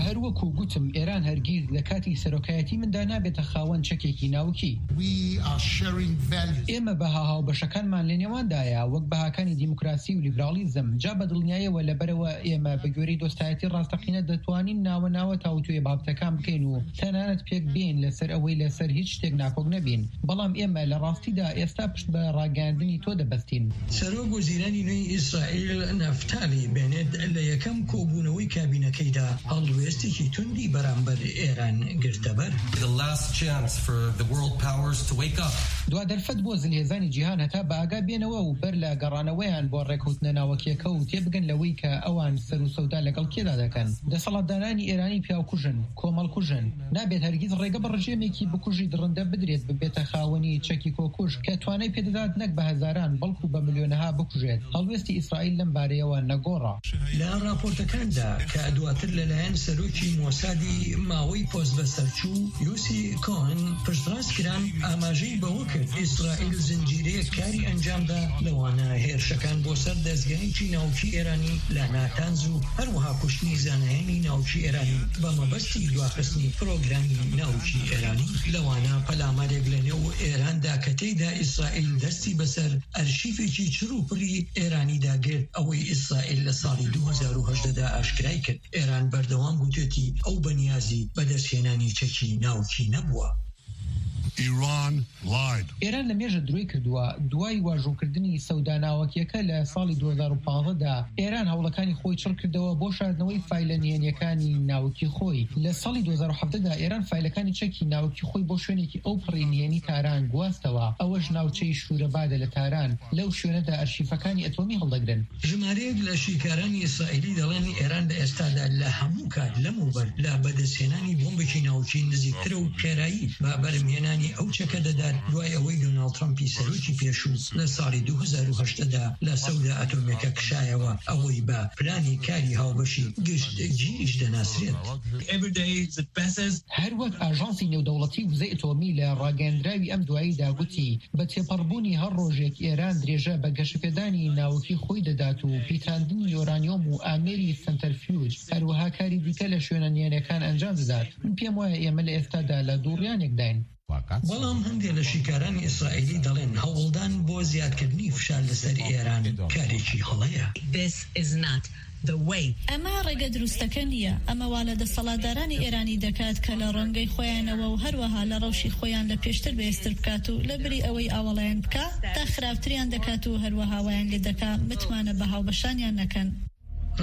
Her wekû gotim, Êran hergîz li katî serokayetî min de nabête xawend çekekî navkî. We are sharing values. ئێمە بەها هاوبەشەکانمان لە نێواندا یە، وەک بەهاکانی دیموکراسی و لیبراڵیزم. جا بە دڵنیاییەوە لەبەرەوە ئێمە بە گوێرەی دۆستایەتی ڕاستەقینە دەتوانین ناوە ناوە تاوتوێ بابەتەکان بکەین و تەنانەت پێک بێین لەسەر ئەوەی لەسەر هیچ شتێک ناکۆک نەبین. بەڵام ئێمە لە ڕاستیدا ئێستا پشت بە ڕاگەیاندنی تۆ دەبەستین. سەرۆک وەزیرانی نوێی ئیسرائیل نەفتالی بێنێت لە یەکەم کۆبوونەوەی کابینەکەیدا هەڵوێستێکی توندی بەرامبەر ئێران گرتەبەر. The last chance for the world powers to wake up. دوا دەرفەت بۆ زلهێزانی جیهان هەتا بە ئاگا بێنەوە و بەر لە گەڕانەوەیان بۆ ڕێکەوتنە ناوەکیەکە و تێبگەن لەوەی کە ئەوان سەر و سەودا لەگەڵ کێدا دەکەن. دەسەڵاتدارانی ئێرانی پیاوکوژن، کۆمەڵکوژن. نابێت هەرگیز ڕێگە بە ڕژێمێکی بکوژی دڕندە بدرێت ببێتە خاوەنی چەکی کۆکوژ کە توانای پێدەدات نەک بە هەزاران بەڵکو بە ملیۆنەها بکوژێت. هەڵوێستی ئیسرائیل لەم بارەیەوە نەگۆڕە. لە راپۆرتەکاندا کە دواتر لەلایەن سەرۆکی مۆسادی ماوەی پۆست بەسەرچوو یوسی کۆهن پشتڕاست کران، ئاماژەی بەوە کرد ئیسرائیل زنجیرەیەک کاری ئەنجامدا، لەوانە هێرشەکان بۆ سەر دەستگایەکی ناوکی ئێرانی لە ناتانز و هەروەها کوشتنی زانایانی ناوکی ئێرانی بە مەبەستی دواخستنی پرۆگرامی ناوکی ئێرانی، لەوانە پەلامارێک لە نێو ئێراندا کە تێیدا ئیسرائیل دەستی بەسەر ئەرشیفێکی چڕ و پڕی ئێرانیدا گرت، ئەوەی ئیسرائیل لە ساڵی دوو هەزار و هەژدە دا ئاشکرای کرد. ئێران بەردەوام گوتێتی ئەو بەنیازی بەدەستهێنانی چەکی ناوکی نەبووە. Iran lied. ئێران لە مێژە درۆی کردووە. دوای واژووکردنی سەودا ناوەکیەکە لە ساڵی دوو هەزار و پازدە دا، ئێران هەوڵەکانی خۆی چڕ کردەوە بۆ شاردنەوەی فایلە نهێنیەکانی ناوکی خۆی. لە ساڵی دوو هەزار و حەڤدە دا ئێران فایلەکانی چەکی ناوکی خۆی بۆ شوێنێکی ئەو پڕی نهێنی تاران گواستەوە. ئەوەش ناوچەی شورەبادە لە تاران. لەو شوێنەدا ئەرشیفەکانی ئەتۆمی هەڵدەگرن. ژمارەیەک لە شیکارانی ئیسرائیلی دەڵێن ئێران لە ئێستادا لە هەموو کات لەمەوبەر لە بەدەستهێنانی بۆمبێکی ناوکی نزیکترە و خێرایی بە بەرمهێنانی ئەو چەکە دەدات، دوای ئەوەی دۆناڵد ترەمپی سەرۆکی پێشوو لە ساڵی دوو هەزار و هەشت دا لە سەودا ئەتۆمەکە کشایەوە، ئەوەی بە پلانی کاری هاوبەشی گشت جیش دەناسرێت. Every day is the best. هەر وەک ئاژانسی نێودەوڵەتی وزەی ئەتۆمی لە ڕاگەیاندراوی ئەم دواییدا گوتی، بە تێپەڕبوونی هەر ڕۆژێک ئێران درێژە بە گەشەپێدانی ناوکی خۆی دەدات و پیتاندنی یۆرانیۆم و ئامێری سەنتەرفیوج، هەروەها کاری دیکە لە شوێنە نهێنیەکان ئەنجام دەدات. من پێم وایە ئێمە لە ئێستادا لە دووڕیانێکداین. بەڵام هەندێک لە شیکارانی ئیسرائیلی دەڵێن هەوڵدان بۆ زیادکردنی فشار لەسەر ئێران کارێکی هەڵەیە. This is not the way. ئەمە ڕێگە دروستەکە نییە. ئەمە وا لە دەسەڵاتدارانی ئێرانی دەکات کە لە ڕەنگەی خۆیانەوە و هەروەها لە ڕەوشی خۆیان لە پێشتر بەهێزتر بکات و لە بری ئەوەی ئاوەڵایان بکات، تا خراپتریان دەکات و هەروەها وایان لێ دەکات متمانە بە هاوبەشانیان نەکەن.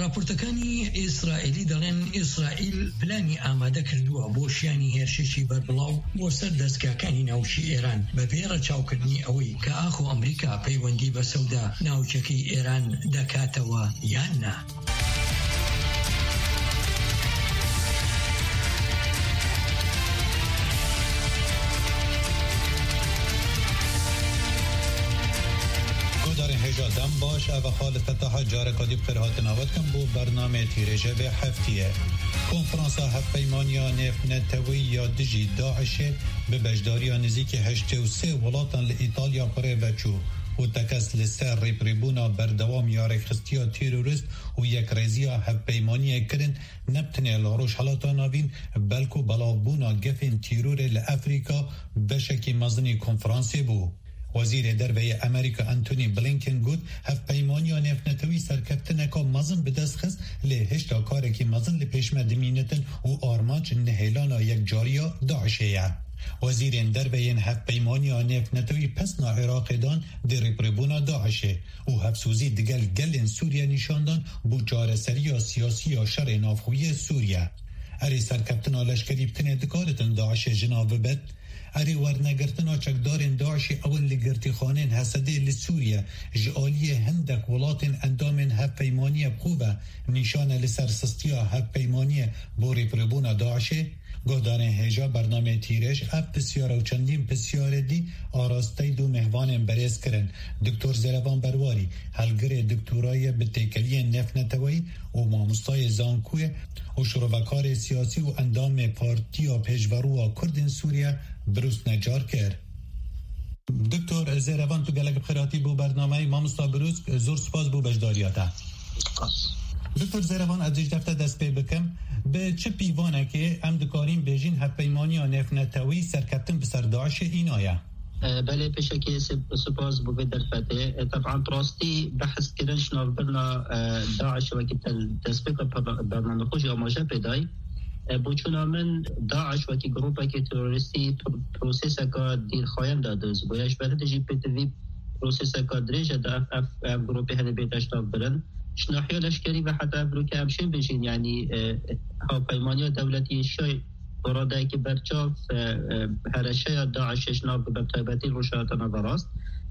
راپۆرتەکانی ئیسرائیلی دەڵێن ئیسرائیل پلانی ئامادە کردووە بۆ شیانی هێرشێکی بەربڵاو بۆ سەر دەستگاکانی ناوکی ئێران، بە پێی ڕەچاوکردنی ئەوەی کە ئاخۆ ئەمریکا پەیوەندی بە سەودا ناوکیەکەی ئێران دەکاتەوە یان نا. Guhdarên hêja dem baş, ev e Xalid Fetaha careka dî bi xêr hatina we dikim bo bernameyê Tîrêjê vê heftiyê. Konferansa Hevpeymaniya Nêvneteweyî ya dijî DAIŞê bi beşdariya nêzîkî heştê û sê welatan li Îtalya bi rê ve çû û tekez li ser rêprêbûna berdewam ya rêxistiya terorist û yekrêziya hevpeymaniyê kirin, ne bi tenê li Rojhilata Navîn, belku belavbûna gefên tîrorê li Efrîka beşekî mezinî konferansê bû. Wezîrê Derve yê Amerîka Antony Blinken got, hevpeymaniya nêvnetewî serkeftineka mezin bi dest xist, lê hişta karekî mezin li pêş me dimînitin û armanc nihêlana yekcariya DAIŞê ye. Wezîrên Derve yên Hevpeymaniya Nêvnetewî pesna Iraqê dan di rêprêbûna DAIŞê û hevsozî digel gelên Sûriye nîşan dan bo çareseriya siyasî ya şerê navxweyî yê Sûriye. Erê serkeftina leşkerî bi tenê dikaritin DAIŞê ji nav bibet? Erê wernegirtina çekdarên DAIŞê ew in li girtîxaneyên Hesedê li Sûriye ji aliyê hindek welatên endamên hevpeymaniyê bi xwe ve nîşan e li ser sistiya hevpeymaniyê bo rêpirbûna DAIŞê? Guhdarên hêja bernameyê Tîrêj ev pisyar û çendîn pisyarê dî arasteyî du mêhvanên berêz kirin. Doktor Zêrevan Berwarî, helgirê doktorayê bi têkeliyên nêvneteweyî û mamostayê zankû ye û şirovekarê siyasî û endamê Partiya Pêşverû a Kurdên Sûriye, Birûs Necar kir. Doktor Zêrevan, tu gelek bi xêr hatî bo bernameyê. Mamosta Birûs, zor spas bo beşdariya te. Doktor Zêrevan, ez jî ji te dest pê bikim. Bi çi pîvanekê em dikarîn bêjîn hevpeymaniya nêvnetewî serkeftin bi ser DAIŞê îna ye? E, belê, pêşekê sip-, spas bo vê derfetê. E, teban, bi rastî behs kirin ji navbirina, e, DAIŞ wekî te li destpêka perna-, bernamê xwe jî amaje pê dayî. E, boçûna min, DAIŞ wekî grûpekî terorîstî pro-, proseseka dîrxayen de dest bûye. Ji ber hindê jî pêtivî proseseka dirêj e di ev, ev, ev grûpê henê bête ji nav birin. Ji nahiya leşkerî ve heta ev rûke em şên bêjin, yanî, e, hevpeymaniya dewletî yê şay bi radeyekî berçav, e, e, hereşeya DAIŞê ji nav, bi taybetî Rojhilata Naverast.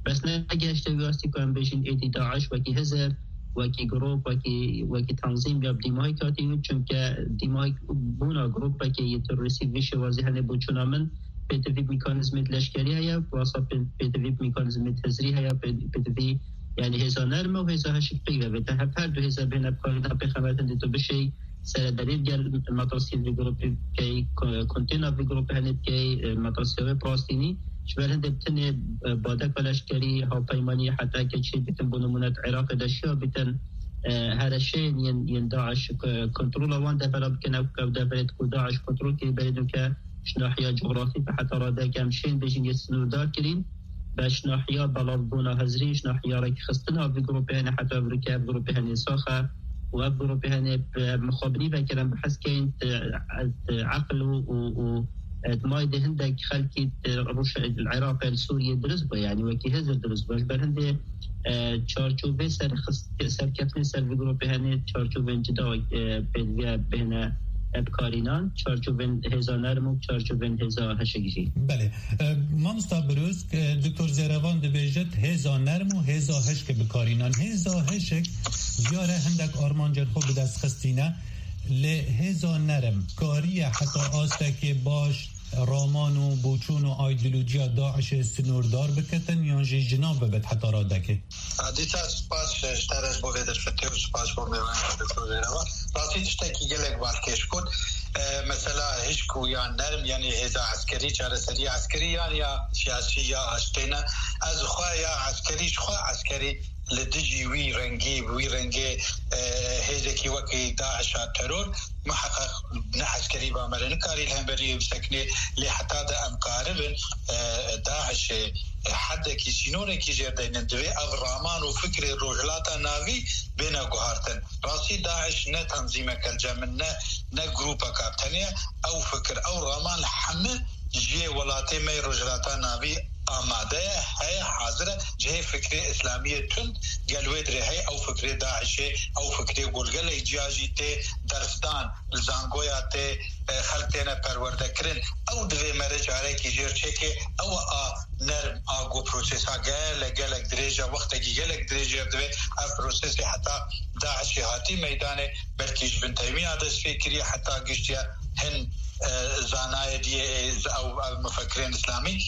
Bes negehişte wî astî ku em bêjin êdî DAIŞ wekî hizir, wekî grûp, wekî, wekî tenzîm ya bi dîmahî hatî wî, çunke dîmahî bûna grûpekê yê terorîstî vî şêwazî hene. Boçûna min, pêtivî mekanîzmê leşkerî heye, wasa pê-, pêtivî mekanîzmê hizrî heye, pê-, pêtivî, yanî hêza nerm e û hêza hişk pêk ve. Te hev her du hêza bêne bi kar, na pêxemet hindê tu bişêy, serederî digel matrasiyê vî grûpê bikey, ko-, kontêna vî grûpê henê bikey, e, matrasiya wê bi rastî nî. Ji ber hindê bi tenê, e, badeka leşkerî, hevpeymanî, heta ke çê bikin, bo nimûne di Iraqê de şiya bikin, e, hereşeyên yên, yên DAIŞ, e, kontrola wan devera bikin, ew, ew deverê ku DAIŞ kontrol kirî, berê nûke ji nahiya cografî ve heta radeyeke em şên bêjin yê sinûrdar kirîn. Be ji nahiya belavbûna hizrî, ji nahiya rêkxistina vî grûpê hene, heta ev rûke ev grûpê hene sax e û ev grûpê hene bi mixabinî vekirin, bi hezkeyên, e, e, eqil û, û, û E, di mayî de hindek xelkî di rûş-, li Iraqê, li Sûriyê dirust bû, yanî wekî Hêzir dirust bû. Ji ber hindê, e, çarçovê serxist-, serkeftinê ser vî grûpê hene, çarçovên cida, e, pêdiviya bihêne, e, bikarînan, çarçovên hêza nerm û çarçovên hêza heşik jî. Belê. E, mamosta Birûz, e, Doktor Zêrevan dibêjit, hêza nerm û hêza hişk bikarînan. Hêza hişk diyar e hindek armancên xwe bi dest xistîne. Lê hêza nerm kariye heta astekê baş raman û boçûn û aydîlojiya DAIŞê sinordar bikitin yan jî jinav bibit heta radekê? Dîsa spas ji te re ji bo vê derfetê û spas bo mêvanê Doktor Zêrevan. Rastî tiştekî gelek balkêş got. E, mesela hişk û ya nerm, yanî hêza eskerî, çareseriya eskerî yan ya siyasî ya aştê ne. Ez xwe ya eskerî, ji xwe eskerî li dijî wî rengî, bi wî rengê, e, hêzekî wekî DAIŞa teror, miheqeq ne eskerî ba me re nikarî li hemberî wê bisekinê, lê heta de em karibin, e, DAIŞê, e, hedekî sînorekî jêr deynin, divê ev raman û fikrê Rojhilata Navî bêne guhartin. Rastî DAIŞ ne tanzîmeke li cem min, ne, ne grûpeka tenê, ew fikir, ew raman li hemî cihê welatê me yê Rojhilata Navî amade ye, heye, hazir e. Cihê fikrê îslamiyê tund gel wê dirê heye, ew fikrê DAIŞê, ew fikrê ku li gelek ciya jî tê dersdan, li zangoya tê, e, xelk têne perwerde kirin. Ew divê mere carekî jêr çêke, ew a nerm a ku prosesa gelek, gelek dirêj e, wextekî gelek dirêj e, divê ev prosesê heta DAIŞê hatî meydanê, belkî ji bin tevîna dest pê kiriye heta giştiye hin, e, zanayê diyê, e, ew, ev mufekirên îslamî.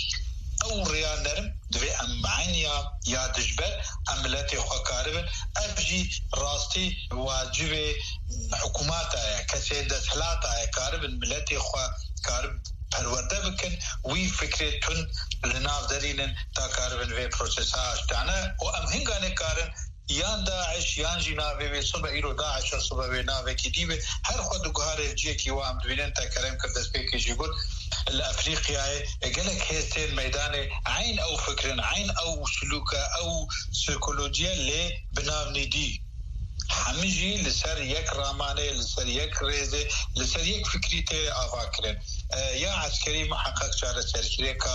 Ew rêya nerm divê em eyn ya, ya dijber em miletê xwe karibin. Ev jî rastî wacibê hikûmata ye, kesê desthilata ye, karibin miletê xwe karib perwerde bikin, wî fikrê tund li nav derînin ta karibin vê prosesa aştane û em hinganê karin yan DAIŞ yan jî navê wê sibe îro DAIŞ e, sibe wê navekî dî be. Her xwe diguhare ciyekî wa em dibînin, te kerem kir destpêkê jî got, li Efrîqyayê gelek hêz tên meydanê, eyn ew fikrin, eyn ew silûke, ew psîkolojiye lê bi nav nî dî. Hemî jî li ser yek ramanê, li ser yek rêzê, li ser yek fikrî tê ava kirin. E, ya eskerî miheqeq çareserkirêka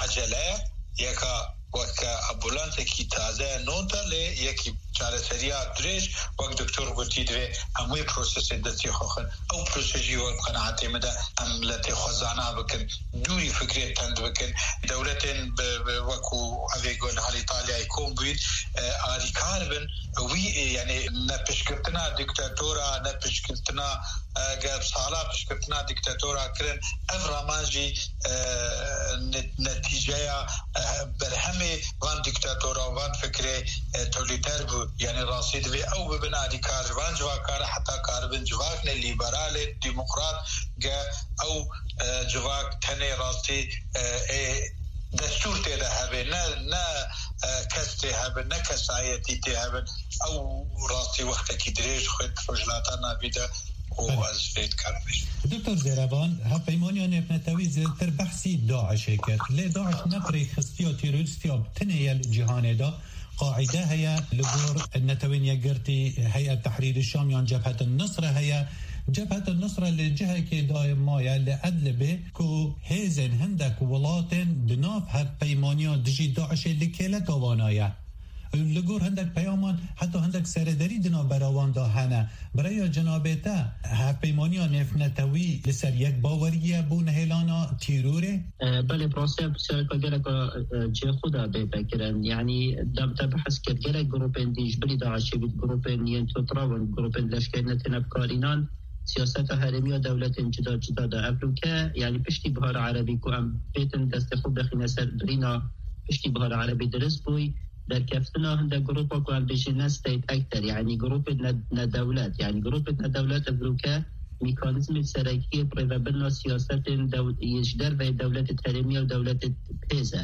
ecele ye, yeka weke ambulansekî taze, nota, lê yekî çareseriya dirêj, wek doktor gotî, divê em wê prosesê destê xwe xin. Ew proses jî wek qenaetê min de em miletê xwe zana bikin, dûrî fikrê tend bikin. Dewletên bi, bi, wekû evê ku li Îtalyayê kom bûyîn, e, alîkar bin. Wî, e, yani ne piştgirtina diktatora, ne piştgirtina, e, ge sala piştgirtina diktatora kirin. Ev raman jî, e, ne-, netîceya, e, berhemê van diktatora, van fikrê, e, tolîter bû. Yani rastî divê ew bibin alîkar ji van civaka re, heta karibin civakne lîberalê, demokrat, ge ew, e, civak tenê rastî, e, ê destûr tê de hebe, ne, ne, e, kes tê hebin, ne kesayetî tê hebin. Ew rastî wextekî dirêj xwet Rojhilata Navî de û Belê. Ez vê dikarim bêjim. Doktor Zêrevan, hevpeymaniya nêvnetewî zêdetir behsî DAIŞê kir. Lê DAIŞ ne bi rêkxistiya terorîstiya bi tinê ye li cîhanê de. Qaîde heye, li gor Netewên Yekgirtî, Heyet Tehrîrî Şam yan Cebhetin Nusre heye. Cebhetin Nusre li cihekê dayê maye li Idlibê ku hêzên hindek welatên di nav hevpeymaniya dijî DAIŞê li kêleka wana ye. Li gor hindek peyaman heta hindek serederî di navbera wan de hene. Bi rêya cenabê te, hevpeymaniya nêvnetewî li ser yek bawerî ye bo nehêlana tîrorê? E, belê, bi rastî ev pirsiyareka geleka, e, cihê xwe de bê vekirin. Yanî, da te behs kir, gelek grûpên dî ji bilî DAIŞê bît, grûpên yên tundrew in, grûpên leşkerî ne têne bikarînan, siyaseta herêmî ya dewletên cida cida de. Ev rûke, yanî piştî Bihara Erebî ku em bêtin destê xwe bixîne ser birîna piştî Bihara Erebî dirist bûy, derkeftina hinde grûpa ku em bêjin ne state actor, yanî grûpên ne, nedewlet, yanî grûpên nedewlet ev rûke mekanîzmê serekî yê birêvebirina siyasetên dew-, yê ji derveyê dewletê herêmî û dewletê pêz e.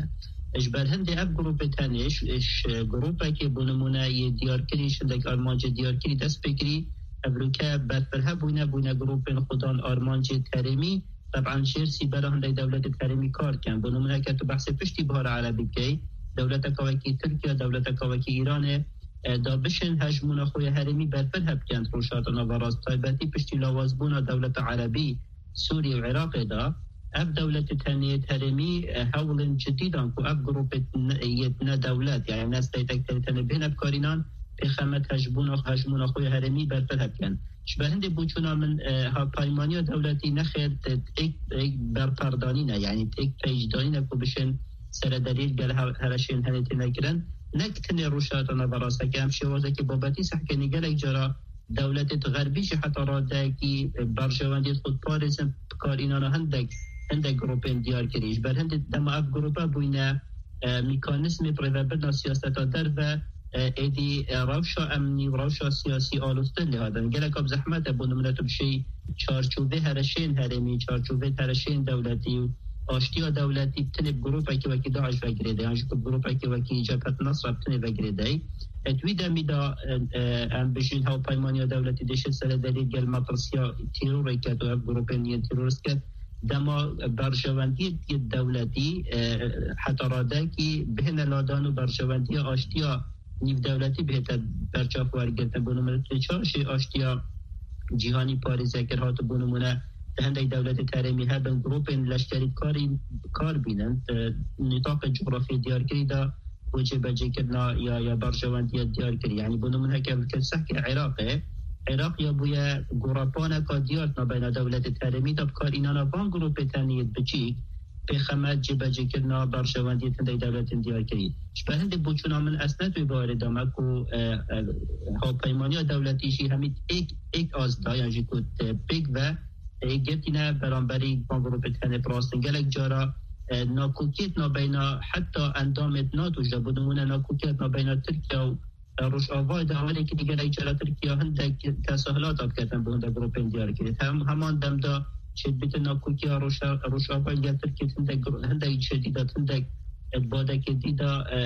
Ji ber hindê ev grûpê tenê ji, ji grûpekê, bo nimûne, yê diyarkirî, ji hindek armancê diyarkirî dest pê kirî, ev rûke berfireh bûne, bûne grûpên xudan armancê herêmî, teban jêr sîbera hindek dewletê herêmî kar dikin. Bo nimûne, eke tu behsê piştî Bihara Erebî bikey, dewleteka wekî Tirkiye, dewleteka wekî Îranê, e, da bişên hejmûna xwe ya herêmî berfireh bikin di Rojhilata Naverast, taybetî piştî lawazbûna dewleta Erebî Sûriyê û Iraqê de, Ev dewletê tenê yê herêmî, e, hewlên cidî dan ku ev grûpê ne, yê ne dewlet, yani ne steytek tenê tenê bihêne bikarînan, pêxemet hejbûna, hejmûna xwe ya herêmî berfireh bikin. Ji ber hindê boçûna min, e, hevpeymaniya dewletî nexêr, e, êk, êk berperdanî ne, yani êk peycdanî ne ku bişên seredariyê gel hev-, hereşên henê têne kirin. Ne ki tenê Rojhilata Navberastekê, em şêwazekî babetî sehkênî gelek cara dewletêt xerbî jî heta radeyekî berjewendiyêt xwe diparêzin, bikarînana hindek, hindek grûpên diyar kirî. Ji ber hindê dema ev grûpe bûyne, e, mekanîzmê birêvebirina siyaseta derve, e, êdî, e, rewşa emnî û rewşa siyasî aloztir lê hatin. Gelek bi zehmet e, bo nimûne tu bişêyî çarçovê hereşên herêmî, çarçovê hereşên dewletî û aştiya dewletî tenê bi grûpekî wekî DAIŞ ve girêde, yan jî ku bi grûpekî wekî Cebhet Nusra bi tenê ve girêdeyî. E, di wî demî de, e, e, em bijîn hevpeymaniya dewletî dê şêt seredariyê gel metirsiya terorê ket û ev grûpên yên terorîst ket. Dema berjewendiyê dewletî, e, heta radekî bihêne ladan û berjewendiya aştiya nîvdewletî bihête berçav wergirtin. Bo nimûne tu çar jî aştiya cîhanî parêze kir, hat bo nimûne di hindek dewletê herêmî hebin grûpên leşkerî karî kar bînin, di nîtaqê cografyê diyarkirî de bo cêbecêkirina ya, ya berjewendiya diyarkirî. Yani bo nimûne heke fikir sehke Iraqê, Iraq ya bûye gorapaneka diyar di navbeyna dewletê herêmî de bikarînana van grûpê tenê yê biçîk, pêxemet cêbecêkirina berjewendiyê hindek dewletên diyarkirî. Ji ber hindê boçûna min ez ne tu wê bawerê dame ku, e, e, hevpeymaniya dewletî jî hemî êk, êk az da, yan jî ku, e, pêk ve, e, girtîne beramberî van grûpê tenê bi rastin. Gelek cara, e, nakokiyêt nabeyna heta endamêt NATO jî de, bo nimûne nakokiyet nabeyna Tirkiye û Rojavayê de Amerîkî de gelek cara Tirkiye hindek tesahilata diketin bo hindek grûpên diyarkirî. Hem, heman dem de çêdibîtin nakokiya Roja-, Rojavayê gel Tirkiye hindek gru-, hindek çêdî de, hindek badekê dî de, e,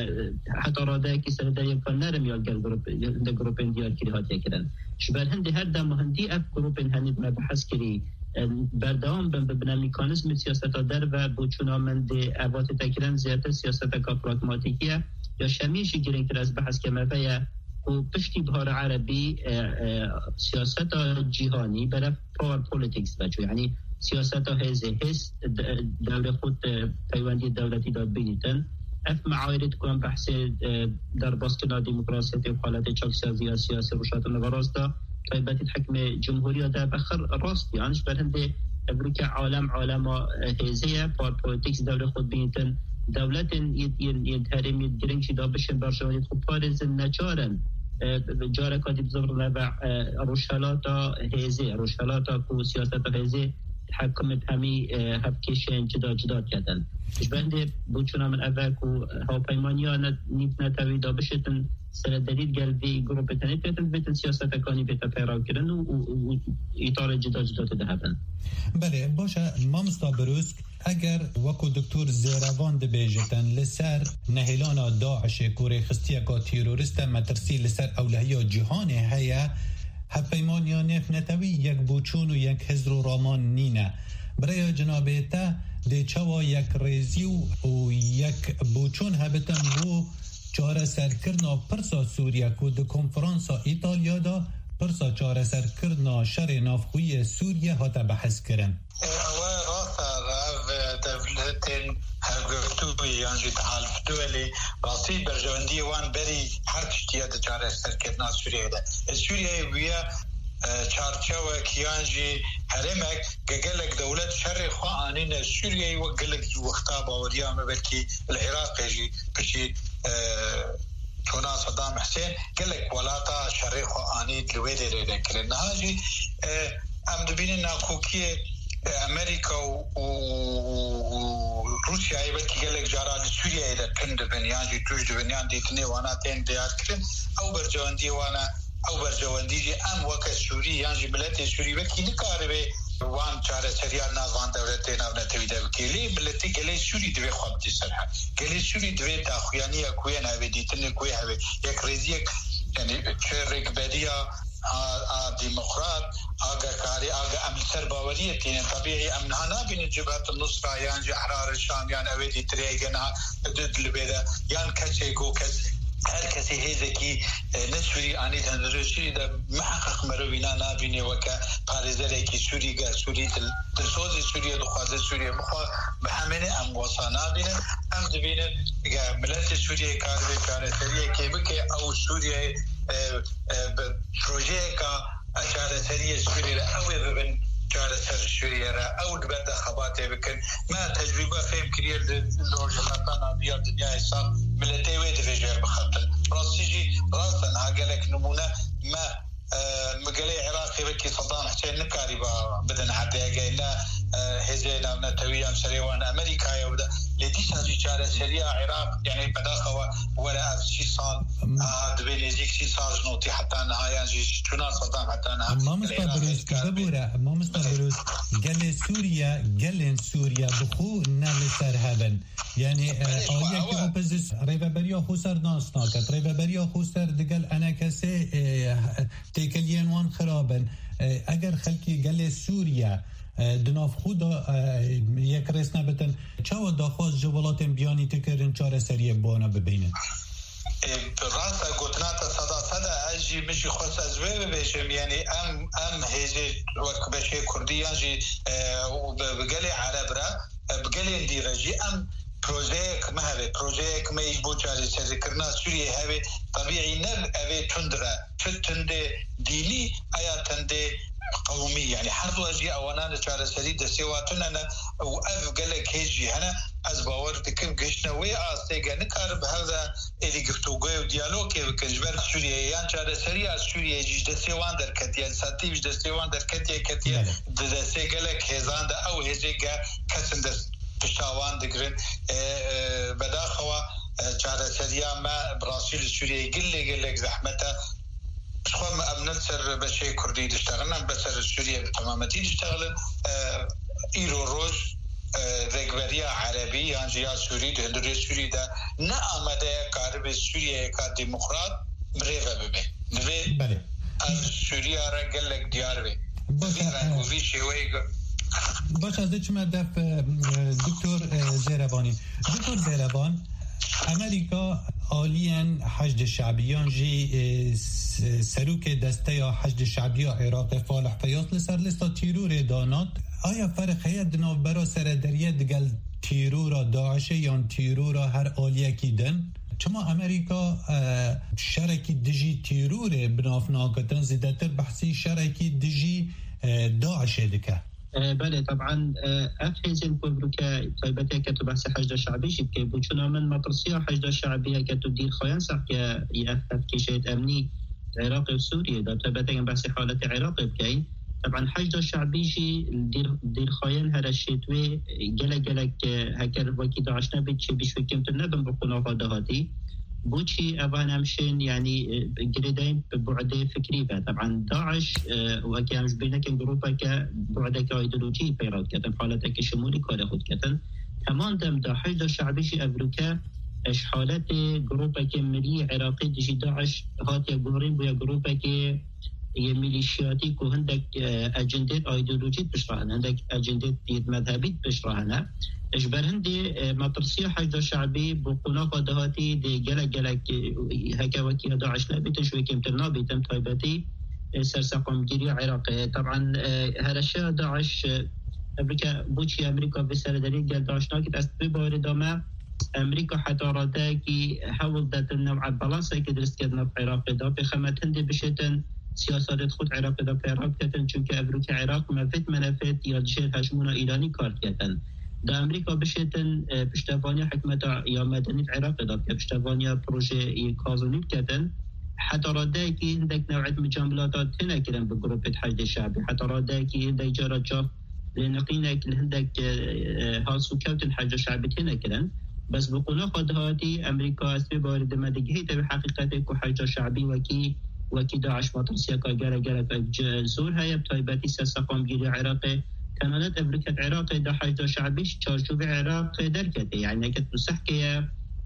heta radeyekî seredayî ya nerm ya gel grûp-, hindek grûpên diyarkirî hatiye kirin. Ji ber hindê her dem hindî ev grûpên henî me behs kirî, e, berdewam bin, bibine mekanîzmê siyaseta derve, boçûna min dê ev hatî te kirin zêdetir siyaseteka pragmatîkî ye. Ya şemiyê jî girîngtir ez behs keme ve ye ku piştî Bihara Erebî, e, e, siyaseta cîhanî berev power politics ve çû. Yanî siyaseta hêzê, hêz de-, dewrê xwe di peywendiyê dewletî de bînîtin. Ev meayirêt ku em behsê, e, derbaskirina demokrasiyetê û xaletê çaksazî ya siyasî Rojhilata Naverast de, taybetî di hikmê cumhuriya de vexir rast yan, ji ber hindê evroke alem alema, e, hêzê ye, power politics dewrê xwe dibînitin. Dewletên yên, yên, yên herêmî girîng jî da bişên berjewendiyê xwe parêzin, neçar in, e, careka dî bizivirine ve, e, rojhelata hêzê, rojhelata ku siyaseta hêzê hekimê hemî, e, hevkêşeyên cida cida diketin. Ji ber hindê boçûna min ev e ku hevpeymaniya ne-, nîvnetewî da bişêtin seredarî gel vê grûpê tenê biketin, bêtin siyasetekanî bête peyrewkirin û, û, û, û îtarê cida cida tê de hebin. Belê, baş e, mamosta Birûsk, eger wekû Doktor Zêrevan dibêjitin, li ser nehêlana DAIŞê ku rêxistiyeka terorîst e, metirsî li ser ewlehiya cîhanê heye, hevpeymaniya nêvnetewî yek boçûn û yek hizr û raman nîne. Bi rêya cinabê te dê çawa yekrêzî û, û yek boçûn hebitin bo çareserkirina pirsa Sûriye ku di konferansa Îtalya de pirsa çareserkirina şerê navxweyî yê Sûriye hate behs kirin. Ew rast e, ev dewletên hevgirtû yan jî Tehaluf Duwelî rastî berjewendiyê wan berî her tiştî ye di çareserkirina Sûriyeyê de. Sûriyeyê bûye, e, çarçewek yan jî herêmek, ge-, gelek dewlet şerê xwe anîne Sûriyeyê, wek gelek wexta baweriya me belkî li Iraqê jî piştî, e, çûna Sedam Husên gelek welata şerê xwe anî li wê derê de kirin. Niha jî, e, em dibînin nakokiyê, e, Amerîka û, û, û, û Rûsyayê belkî gelek cara li Sûriyeyê de tund dibin yan jî tûj dibin yan dîtinê wana tên diyar kirin. Ew berjewendiyê wana, ew berjewendî jî em weke Sûrî yan jî miletê Sûrî belkî nikaribe wan çareseriya nav van dewletê navnetewî de bike. Lê miletê gelê Sûrî divê xwe bidî ser hev. Gelê Sûrî divê daxuyaniya ku yên hevê, dîtinê ku yê hevê, yekrêziyek, yani çi rêkberiya a, a demokrat, a gekarî, a ge-, em li ser baweriyê tînin. Tebîî em niha nabînin Cibhet Nusra yan jî Ehrar Şam yan ew ê dîtirê hêge niha di, di li bê de yan kesê ku kes Her kesê hêzekî, e, ne Sûrî anî hundirê Sûrî de miheqeq mero wîna nabînê weke parêzerekî Sûrî, gel Sûrî dil, dilsozî Sûriyê dixwaze Sûriyê bixwe, bi hemênê em wesa nabînin. Em dibînin ge miletê Sûriyê karibe çareseriyekê bike, ew Sûriyeyê, e, e, bi projeyeka çareseriyê Sûriyê re ew ê bibin çareser Sûriyê re, ew li ber de xebatê bikin. Me tecrûbe fêm kiriye li rojhilata navîn ya dinyayê sax, miletê wê divêje bixetin. Rastî jî rast e, niha gelek nimûne me, e, mi gelê Iraqê wekî Saddam Hussein nikarîba bidin erdê, hege ne, e, hêzê navnetewî yan serê wan Amerîkayê wida. Lê dîsa jî çareseriya Iraq, yani bedaxewa were ev sî sal, a, dibê nêzîk sî sal ji notî heta niha, yan jî ji çûna Saddam heta niha. Mamosta Iraq Birûz, hezkar be. Bibûre, Mamosta Birûz, gelê Sûriye, gelên Sûriye bi xwe ne li ser hev in. Yani, e, Belê, xwe aliyeke ew e. Opozis-, rêveberiya xweser nas naket. Rêveberiya xweser digel enekesê, e, têkiliyên wan xirab in. E, eger xelkê gelê Sûriye, e, di nav xwe de, e, yekrêz nebitin, çawa daxwaz ji welatên biyanî dikirin çareseriyê bi wana bibînin? E, rast e, gotina te seda sed e, ez jî, min jî xwest ez wê bibêjim, yani em, em hêzê wek beşê Kurdî yan jî, e, û bi, bi gelê Ereb re, e, bi gelên dî re jî em projeyek me hebe, projeyek me ji bo çareserikirina Sûriyê hebe, tebîî ne ev ê tund re, tu tundê dînî, eya tundê qewmî, yani her du jî ewana li çareserî destê wa tune ne û ev gelek hêz jî hene. Ez bawer dikim gihiştine wê astê ge nikarin bi hev de êdî giftûgoyê û diyalogê bikin. Ji ber Sûriyeyê yan çareseriya Sûriyeyê jî ji destê wan derketiye, sentî jî ji destê wan derketiye, ketiye Belê. di destê gelek hêzan de, ew hêzê ge kesin dest pişta wan digirin. E, e, bedaxewa, e, çareseriya me bi rastî li Sûriyeyê gelek, gelek zehmet e. Ji xwe em ne li ser beşê Kurdî diştexilin, em li ser Sûriye bi temametî diştexilin. E, îro roj, e, rêkberiya Erebî yan jî ya Sûrî di hundirê Sûrî de ne amade ye karibe Sûriyeyeka demokrat bi rê ve bibe. Divê Belê. ev Sûriya re gelek diyar be. Baş Vî e, reng û vî şêweyê ge- Baş, ez dê çime def, e, Doktor, e, Zêrevanî. Doktor Zêrevan, Amerîka aliyên Heşdê Şebî yan jî, e, s-, serokê desteya Heşdê Şebî ya Iraqê Falih Feyyaz li ser lista tîrorê danat. Aya ferq heye di navbera serederiye digel tîrora DAIŞê yan tîrora her aliyekî din? Çima Amerîka, e, şerekî dijî tîrorê bi nav nagitin, zêdetir behsî şerekî dijî, e, DAIŞê dike? E, belê, teban, e, ev hêzên ku evroke taybetê ke tu behsê Heşda Şebî jî dikî, bo çûna min metirsiya Heşda Şebî ye ke tu dîrxayan sehke ev, ev kêşeyê emnî Iraqê û Sûriyê de, taybetê em behsê haletê Iraqê bikeyn. Teban Heşda Şebî jî dîr-, dîrxayan hereşê wê gelek gelek, e, heker wekî DAIŞ nebî, çi bîş wekî kêmtir nebin bi qonaxa dahatî. Boçî evan em şên, yanî, e, girêdayîn bi bu'dê fikrî ve. Teban DAIŞ, e, wekî em ji bîr nekin, grûpeke bu'deke îdeolojî peyra diketin, haleteke şimûlî karê xwe diketin. Heman dem de Heşda Şebî jî evroke, e, ji haletê grûpeke milî Iraqî dijî DAIŞ hatiye guherîn, bûye grûpeke yê milîşiyatî ku hindek, e, ecendêt îdeolojî pişt re hene, hindek ecendêt yê medhebî pişt re hene. Ji ber hindê, e, metirsiya Heşda Şebî bi qonaxa dahatî dê gelek gelek, e, heke wekî DAIŞ nebîtin, ji wê kêmtir nabîtin, taybetî, e, serseqamgiriya Iraqê. Teban, e, hereşeya DAIŞ, e, evroke boçî Amerîka vê serederî gel DAIŞ nakit, ez vê bawerê de me Amerîka heta radeyekî hewl detin new'a balanseke dirist kir nav Iraqê de. Pêxemet hindê bişêtin siyasetê xwe di Iraqê de pê re biketin, çunke evroke Iraq mevêt menefêt ya dijêr hejmûna Îranî kar diketin. Da Amerîka bişêtin, e, piştevaniya hikmeta ya medenî di Iraqê de bike, piştevaniya projeyê Kazanî biketin. Heta radeyekî hindek new'et micamilata têne kirin bi grûpê Heşdê Şebî. Heta radeyekî hindek cara çav lêniqînek li hindek, e, e, has û kewtin Heşda Şebî têne kirin. Bes bi qonaxa dahatî Amerîka, ez pê bawerî dime, digihîte wê heqîqetê ku Heşda Şebî wekî, wekî DAIŞ metirsiyeka gelek gelek, e, zor heye, bi taybetî serseqamgiriya Iraqê. Tenanet evroke di Iraqê de Heşda Şebî ji çarçovê Iraqê derketê. Yanî neket musehkê ye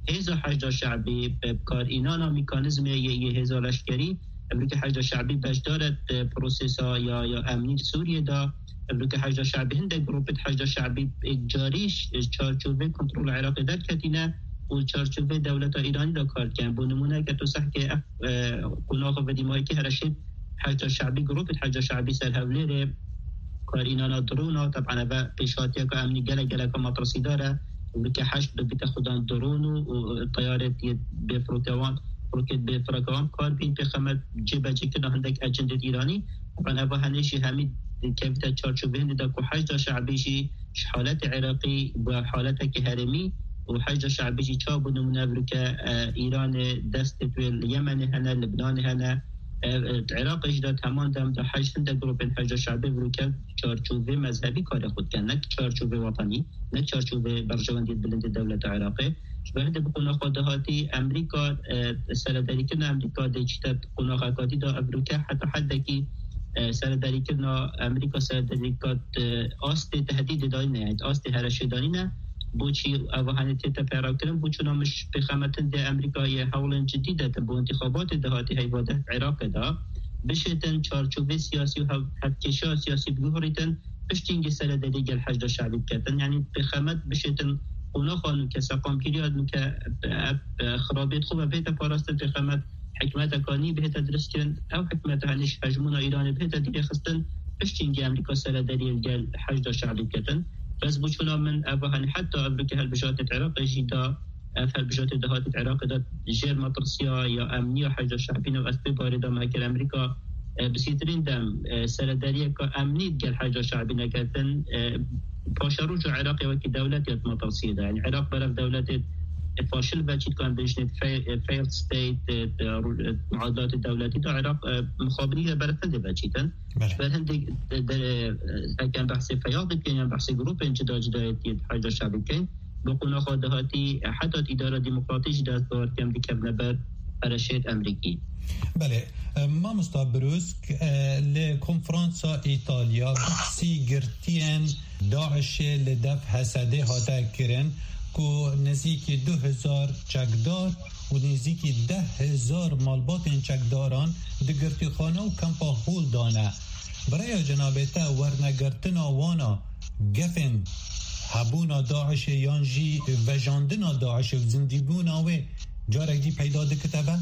hêza Heşda Şebî bi, bi karînana mekanîzmê yê, yê hêza leşkerî, evroke Heşda Şebî beşdar e di prosesa ya, ya emnî li Sûriyê de. Evroke Heşda Şebî hindek grûpê di Heşda Şebî, e, carî ji çarçovê kontrola Iraqê derketîne. û çarçovê dewleta Îranî de kar dikin. Bo nimûne, ke tu sehkê ev, e, qonaxa vedî mahîkî hereşê Heşda Şe'bî, grûpê Heşda Şe'bî ser Hewlêrê, karînana drona, teban eve pêşhatiyeka emnî gelek geleka metirsîdar e. Û ke heşt bibîte xudan dron û, û teyarê yê bê firokewan, roket bê firokewan kar bîn, pêxemet cêbecêkirina hindek ecendê Îranî. Teban eva henê jî hemî dikevîte çarçovê hindê de ku Heşda Şe'bî jî ji haletê Iraqî bi haleteke herêmî û Heşda Şe'bî jî çawa bû nimûne evroke, e, Îranê destê wê li Yemenê hene, Libnanê hene, e, e, Iraqê jî de heman dem de hej hindek grûpên Heşda Şe'bî evroke çarçovê mezhebî karê xwe dikin, ne çarçovê wetanî, ne çarçovê berjewendiyê bilindê dewleta Iraqê. Ji ber hindê bi qonaxa dahatî Amerîka, e, seredarîkirina Amerîka dê çîte qonaxeka dî de evroke heta heddekî, e, seredarîkirina Amerîka seredarîka, e, astê tehdîdê danîne, yani astê hereşê danîne. Boçî eva hanê tête peyra kirin? Bo çuna min ji pêxemetin dê Amerîka yê hewlên cidî de bo întixabatê dahatî heyva de Iraqê de bişêtin çarçovê siyasî û hev-, hevkêşa siyasî biguhorîtin, piştî hingê seredarî gel Heşda Şe'bî biketin. Yani pêxemet bişêtin qonaxa nûke, seqamgiriya nûke, ev, e, xirabiyet xwe ve bihête parastin, pêxemet hikûmeteka nî bihête diristkirin, ew hikûmeta henê ji hejmûna Îranê bihête dîrêxistin, piştî hingê Amerîka seredariyê li gel Heşda Şe'bî biketin. Bes bo çuna min eva henê heta evroke hilbijartên Iraqê jî da, ev hilbijartê dahatî di Iraqê de jêr metirsiya ya emniya Heşda Şe'bî ne, ez pê barê de me ger Amerîka, e, bi sîtirîn dem, e, seredariyeka emnî digel Heşda Şe'bî neketin, e, paşeroja Iraqê wekî dewlet ya di metirsiyê de. Yani Iraq berev dewletê, e, faşil ve çîtkan dijnê fe-, e, failed state, e, e, ru-, e, muadilatê dewletî de Iraq, e, mixabinî ve berev hindê ve çîtin. Bele. Ji ber hindê de, de, e, ekem behsê feyadê bikin yan behsê grûpên cida cida yê Heşda Şe'bî bikin, bi qonaxa dahatî, e, heta îdara demokratî jî dest bi kem dikevne ber hereşêt Amerîkî. Belê, e, mamosta Brûsk, e, li konferansa Îtalya behsî girtiyên DAIŞê li dev Hesedê hate kirin ku nêzîkî du hezar çekdar û nêzîkî deh hezar malbatên çekdaran di girtîxane û kempa hol dane. Bi raya cenabê te, wernegirtina wana gefên hebûna DAIŞê yan jî vejandina DAIŞê û zindîbûna wê carek dî peyda dikite ve?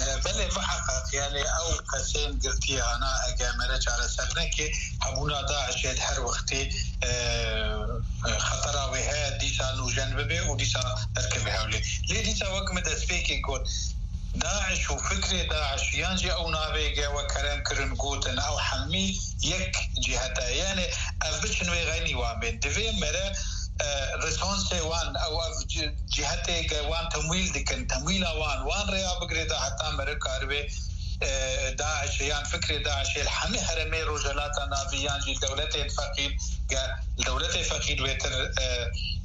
E, belê, muheqeq, yani ew kesên girtiyê ana ege mere çareser neke, hebûna DAIŞê her wextê, e, e, xetera wê heye, dîsa nûjen bibe û dîsa derkeve hewlê. Lê dîsa wek min destpêkê got, DAIŞ û fikrê DAIŞ yan jî ew navê ge we kerem kirin gotin, ew hemî yek cihet e. Yani ev biçin wê xeynî wan bên. Divê mere, e, rêsansê wan, ew ev ci-, cihetê ge wan temwîl dikin, temwîla wan, wan rêya bigirê da heta mere karibe, e, DAIŞ yan fikrê DAIŞê li hemî herêmê Rojhelata Navî yan jî dewletên feqîr, ge dewletê feqîr wêtir, e,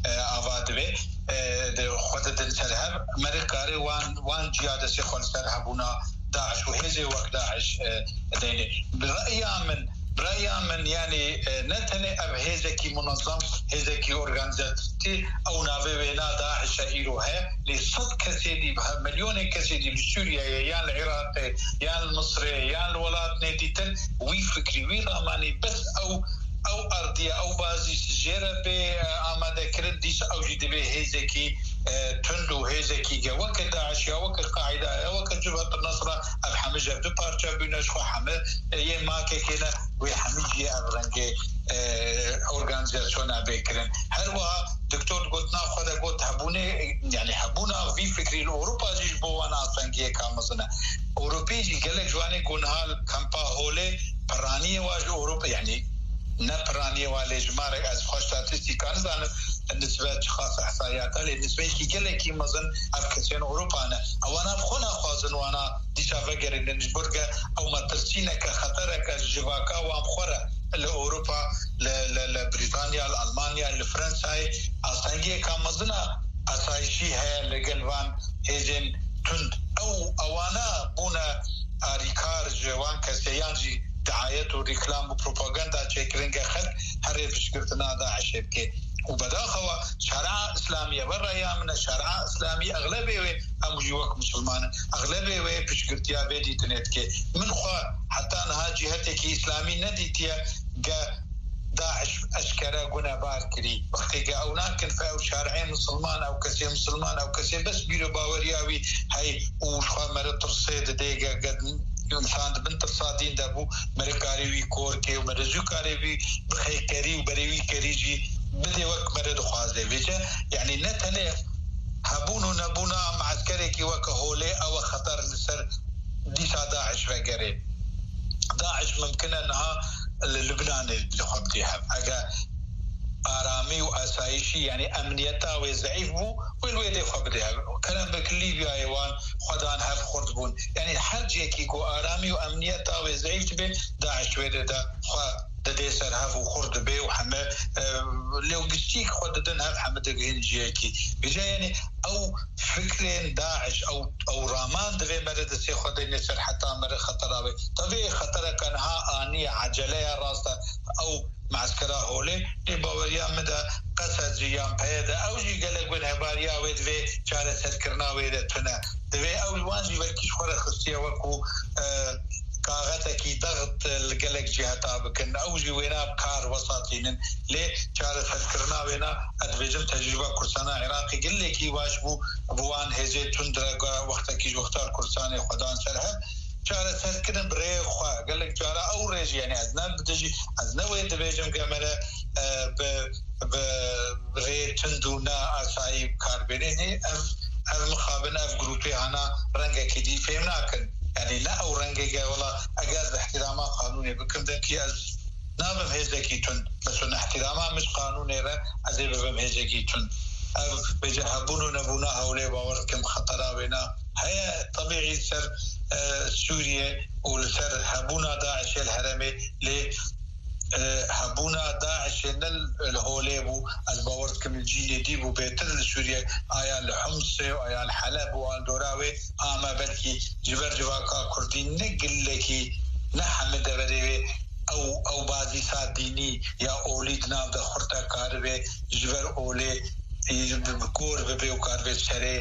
e, ava dibe, e, di xwe didin ser hev, merê karê wan, wan ciya destê xwe li ser hebûna DAIŞ û hêzê wek DAIŞ, e, deyne. Bi reya min, bi reya min, yani, e, ne tenê ev hêzekî munezem, hêzekî organîzatîf, ew navê wêna DAIŞ e îro heye, lê sed kesê dî, he-, milyonê kesê dî li Sûriyeyê, yan li Iraqê, yan li Misirê, yan li welatnê dîtin, wî fikrî, wî ramanî, bes ew, ew ardiye, ew bazî jê re bê, e, amadekirin, dîsa ew jî divê hêzekî, e, tund û hêzekî ge weke DAIŞ ya, weke Qaîda ya, weke Cibhet Nusra, ev hemî ji ev du parça bûne, ji xwe hemî, e, yê makekê ne, wê hemî cihê ev rengê, e, organîzasyona bê kirin. Her wiha Doktor gotina xwe de got hebûnê, yani hebûna vî fikrî li Ewropa jî ji bo wan astengiyeka mezin e. Ewropî jî gelek ji wanê ku niha li kempa holê piraniyê wa ji Ewropa, yani ne piraniyê wa lê jimarek ez xwe statîstîka nizanim, nisbe çiqas ihsaiyata, lê nisbeyekî gelekî mezin ev kesên Ewropa ne. Ewana bi xwe naxwazin wana dîsa vegerînin ji bo ke ew metirsîneke, xetereke ji civaka wan bi xwe re li Ewropa, li, li, li Brîtanya, li Almanya, li Fransayê astengiyeka mezin a asayişî heye li gel van hêzên tund. Ew, ewana bûne arîkar ji wan kesê yan jî diayet û rîklam û propaganda çêkirin ke xelk herê piştgirtina DAIŞê bike. Û bedaxewa şeria îslamî ye, ve reya min e, şeria îslamî exlebê wê, em jî wek misilman in, exlebê wê piştgirtiya vê dîtinê dike. Min xwe heta niha cîhetekî îslamî nedîtiye ge DAIŞ eşkere gunebar kirî. Wextê ke ew nakin fe ew şarê misilman, ew kesê misilman, ew kesê bes bîro baweriya wî hey û ji xwe mere tirsê didê ge, ge însan di bin tirsa dîn de bû, mere karê wî kor kê û mere zû karê wî bixê kerî û berê wî kerî jî bidê wek mere dixwaze. Vêce, yanî ne tenê hebûn û nebûna mueskerekî weke holê ew e xeter li ser dîsa DAIŞ vegerê. DAIŞ mimkin e niha li Lubnanê li xwe bidê hev. Eger aramî û asayîşî, yanî emniyeta wê zeîf bû, wê li wê dê xwe bidê hev. Kerem bik Lîbyayê wan xwe dan hev xurt bûn. Yanî her cihekî ku aramî û emniyeta wê zeîf dibe, DAIŞ wê dê de xwe didê ser hev û xurt dibe û heme, e, lê û giştî xwe didin hev heme digihîn cihekî. Vêca yanî ew fikrên DAIŞ, ew, ew raman divê mere destê xwe deyne ser heta mere xetera wê. Tevî xetereke niha aniye, ecele ye, rast e. Ew mueskera holê, lê baweriya min de qesed jî yan peyê de, ew jî gelek win hebariya wê divê çareserkirina wê de tune. Divê ew li wan jî wekî ji xwe re xistiye wekû, e, kaxetekî dexit li gelek ciheta bikin. Ew jî wêna bi kar wesatînin. Lê çareserkirina wêna, ez dibêjim tecrûba Kurdistana Iraqê gelekî baş bû, bi wan hêzê tund re ga wextekî ji wexta li Kurdistanê xwe dan ser hev. Çareserkirin bi rêyê xwe. Gelek cara ew rê jî, yanî ez ne bi dijî, ez ne wê dibêjim ke mere, e, bi, bi rê tund û ne asayî bi kar bêne. Nê, ev, ev mixabin, ev grûpê hana rengekî dî fêm nakin. Yanî ne ew rengê ke wela eger ez bi ihtirama qanûnê bikim, de ki ez nabim hêzekî tund. Mesela ihtirama min ji qanûnê re ez ê bibim hêzekî tund. Ev bêje hebûn û nebûna hewlê bawer dikim xetera wêna heye tebîî li ser, e, Sûriye û li ser hebûna DAIŞê li herêmê lê, e, hebûna DAIŞê ne li holê bû, ez bawer dikim li cînê dî bû bêtir li Sûriye, aya li Humsê û aya li Heleb û an dora wê, ama belkî ji ber civaka Kurdî ne gilekî, ne hemî deverê wê ew, ew bazîsa dînî ya olî di nav de xurt e karibe ji ber olê, e, bi, bi kor bibe û karibe serê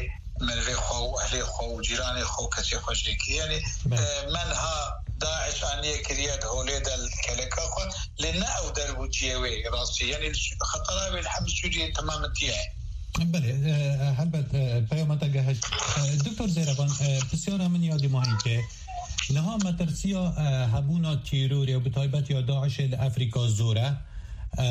merivê xwe û ehlê xwe û cîranê xwe û kesê xwe jêkî. Yanî, Belê. e, me niha DAIŞ aniye kiriye di holê de li keleka xwe, lê ne ew derbûçiyê wê rastî. Yanî xetera wê li hemî Sûriyê temametiye. Belê, e, helbet, e, peyama te gehişt. E, Doktor Zêrevan, e, pisyara min ya dîmahînkê. Niha metirsiya, e, hebûna tîrorê û bi taybet ya DAIŞê li Efrîka zor e. E,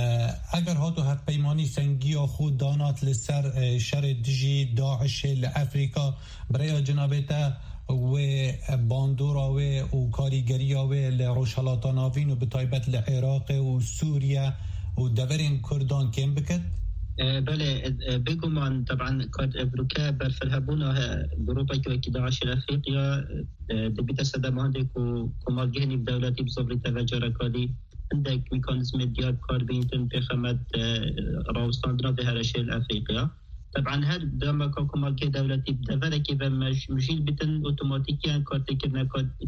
eger hato hevpeymanî sengiya xwe danat li ser, e, şerê dijî DAIŞê li Efrîka, bi rêya cinabê te wê bandora wê û karîgeriya wê li Rojhelata Navîn û bi taybet li Iraqê û Sûriye û deverên Kurdan kêm bikit? E, belê, e, e, bêguman, teban, kat evroke berfirehbûna, e, grûpekî wekî DAIŞê li Efrîqiya, e, dibîte sedema hindê ku komargehê nîvdewletî bi zivirî teve carekadî hindek mekanîzmê diyar bi kar bînitin pêxemet, e, rawestandina vê herêşê li Efrîqiya. Teban her demeka komargehê dewletî bi deverekê ve mej-, mijîl bitin, otomatîkiyan kartêkirina,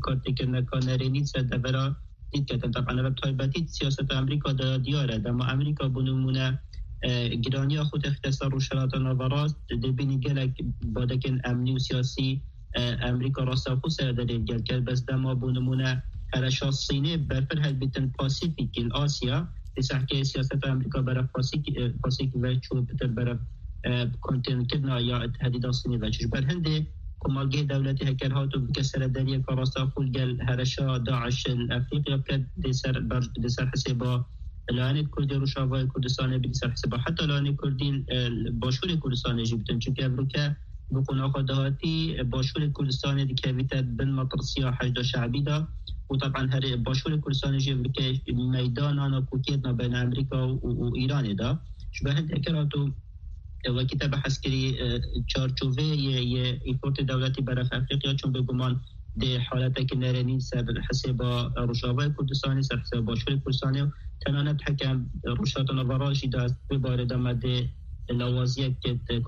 kartêkirineka nerênî ser devera dît ketin. Teban ev bi taybetî siyaseta Amerîka de diyar e. Dema Amerîka, bo nimûne, e, giraniya xwe têxike ser Rojhelata Naverast, dê bînî gelek badekên emnî û siyasî, e, Amerîka rastexo ser derê gel kir. Bes dema, bo nimûne, herêşa Sînê berfireh hilbitin Pasîfîk, li Asya, li sehkê siyaseta Amerîka berev Pasîk, e, Pasîfîk ve çû, pitir berev, e, kontênkirina ya tehdîda Sînê ve çû. Ji ber hindê komargehê dewletî heker hat û bike seredariyeke rastexo li gel herêşa DAIŞ li Efrîqiya bike, dê ser ber, dê ser hisêba layanê Kurdî Rojavayê Kurdistanê bî, dê ser hisêba heta layanê Kurdî, e, Başûrê Kurdistanê jî bitin. Çunke evroke bi qonaxa dahatî, e, Başûrê Kurdistanê dikevîte bin metirsiya Heşda Şeibî de û teban herê Başûrê Kurdistanê jî evroke meydana nakokiyê navbeyna Amerîka û, û, û Îranê de. Ji ber hindê heker hat û E, wekî te behs kirî, e, çarçoveyê yê, yê îfortê dewletî berev Efrîqiya, çûn bêguman dê haletekî nerênî ser hisêba Rojavayê Kurdistanê, ser hisêba Başûrê Kurdistanê û tenanet heke Rojhilata Navara jî de vê barê de me dê lawaziyek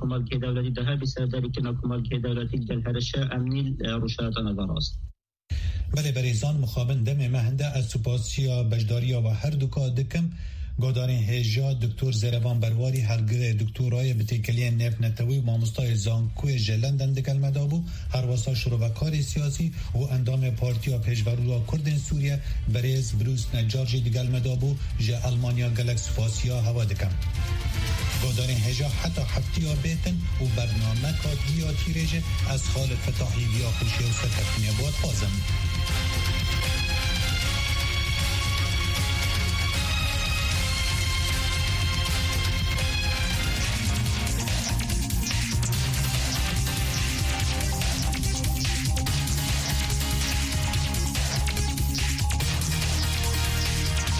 komargehê dewletî de hebî serdarîkirina komargehê dewletî gel herêşa emnî, e, Rojhilata Navara. Belê berêzan, mixabin demê me hinde, ez supasiya beşdariya we her duka dikim. Godarên hêja Doktor Zerevan Berwarî, hevgirê doktorayê bi têkiliyên nêvnetewî û mamostayê zankoyê ji London digel me de bû, herwesa şirovekarê siyasî û endamê Partiya Pêşverûya Kurdên Sûriye, birêz Brûs Necar jî digel me de bû, ji Elmanya gelek spasiya hewa dikim. Godarên hêja heta heftiya bêtin û bernameka diya tîrê jî ez Xalid Fetahî viya xweşiyê û serkeftinê bo dixwazim.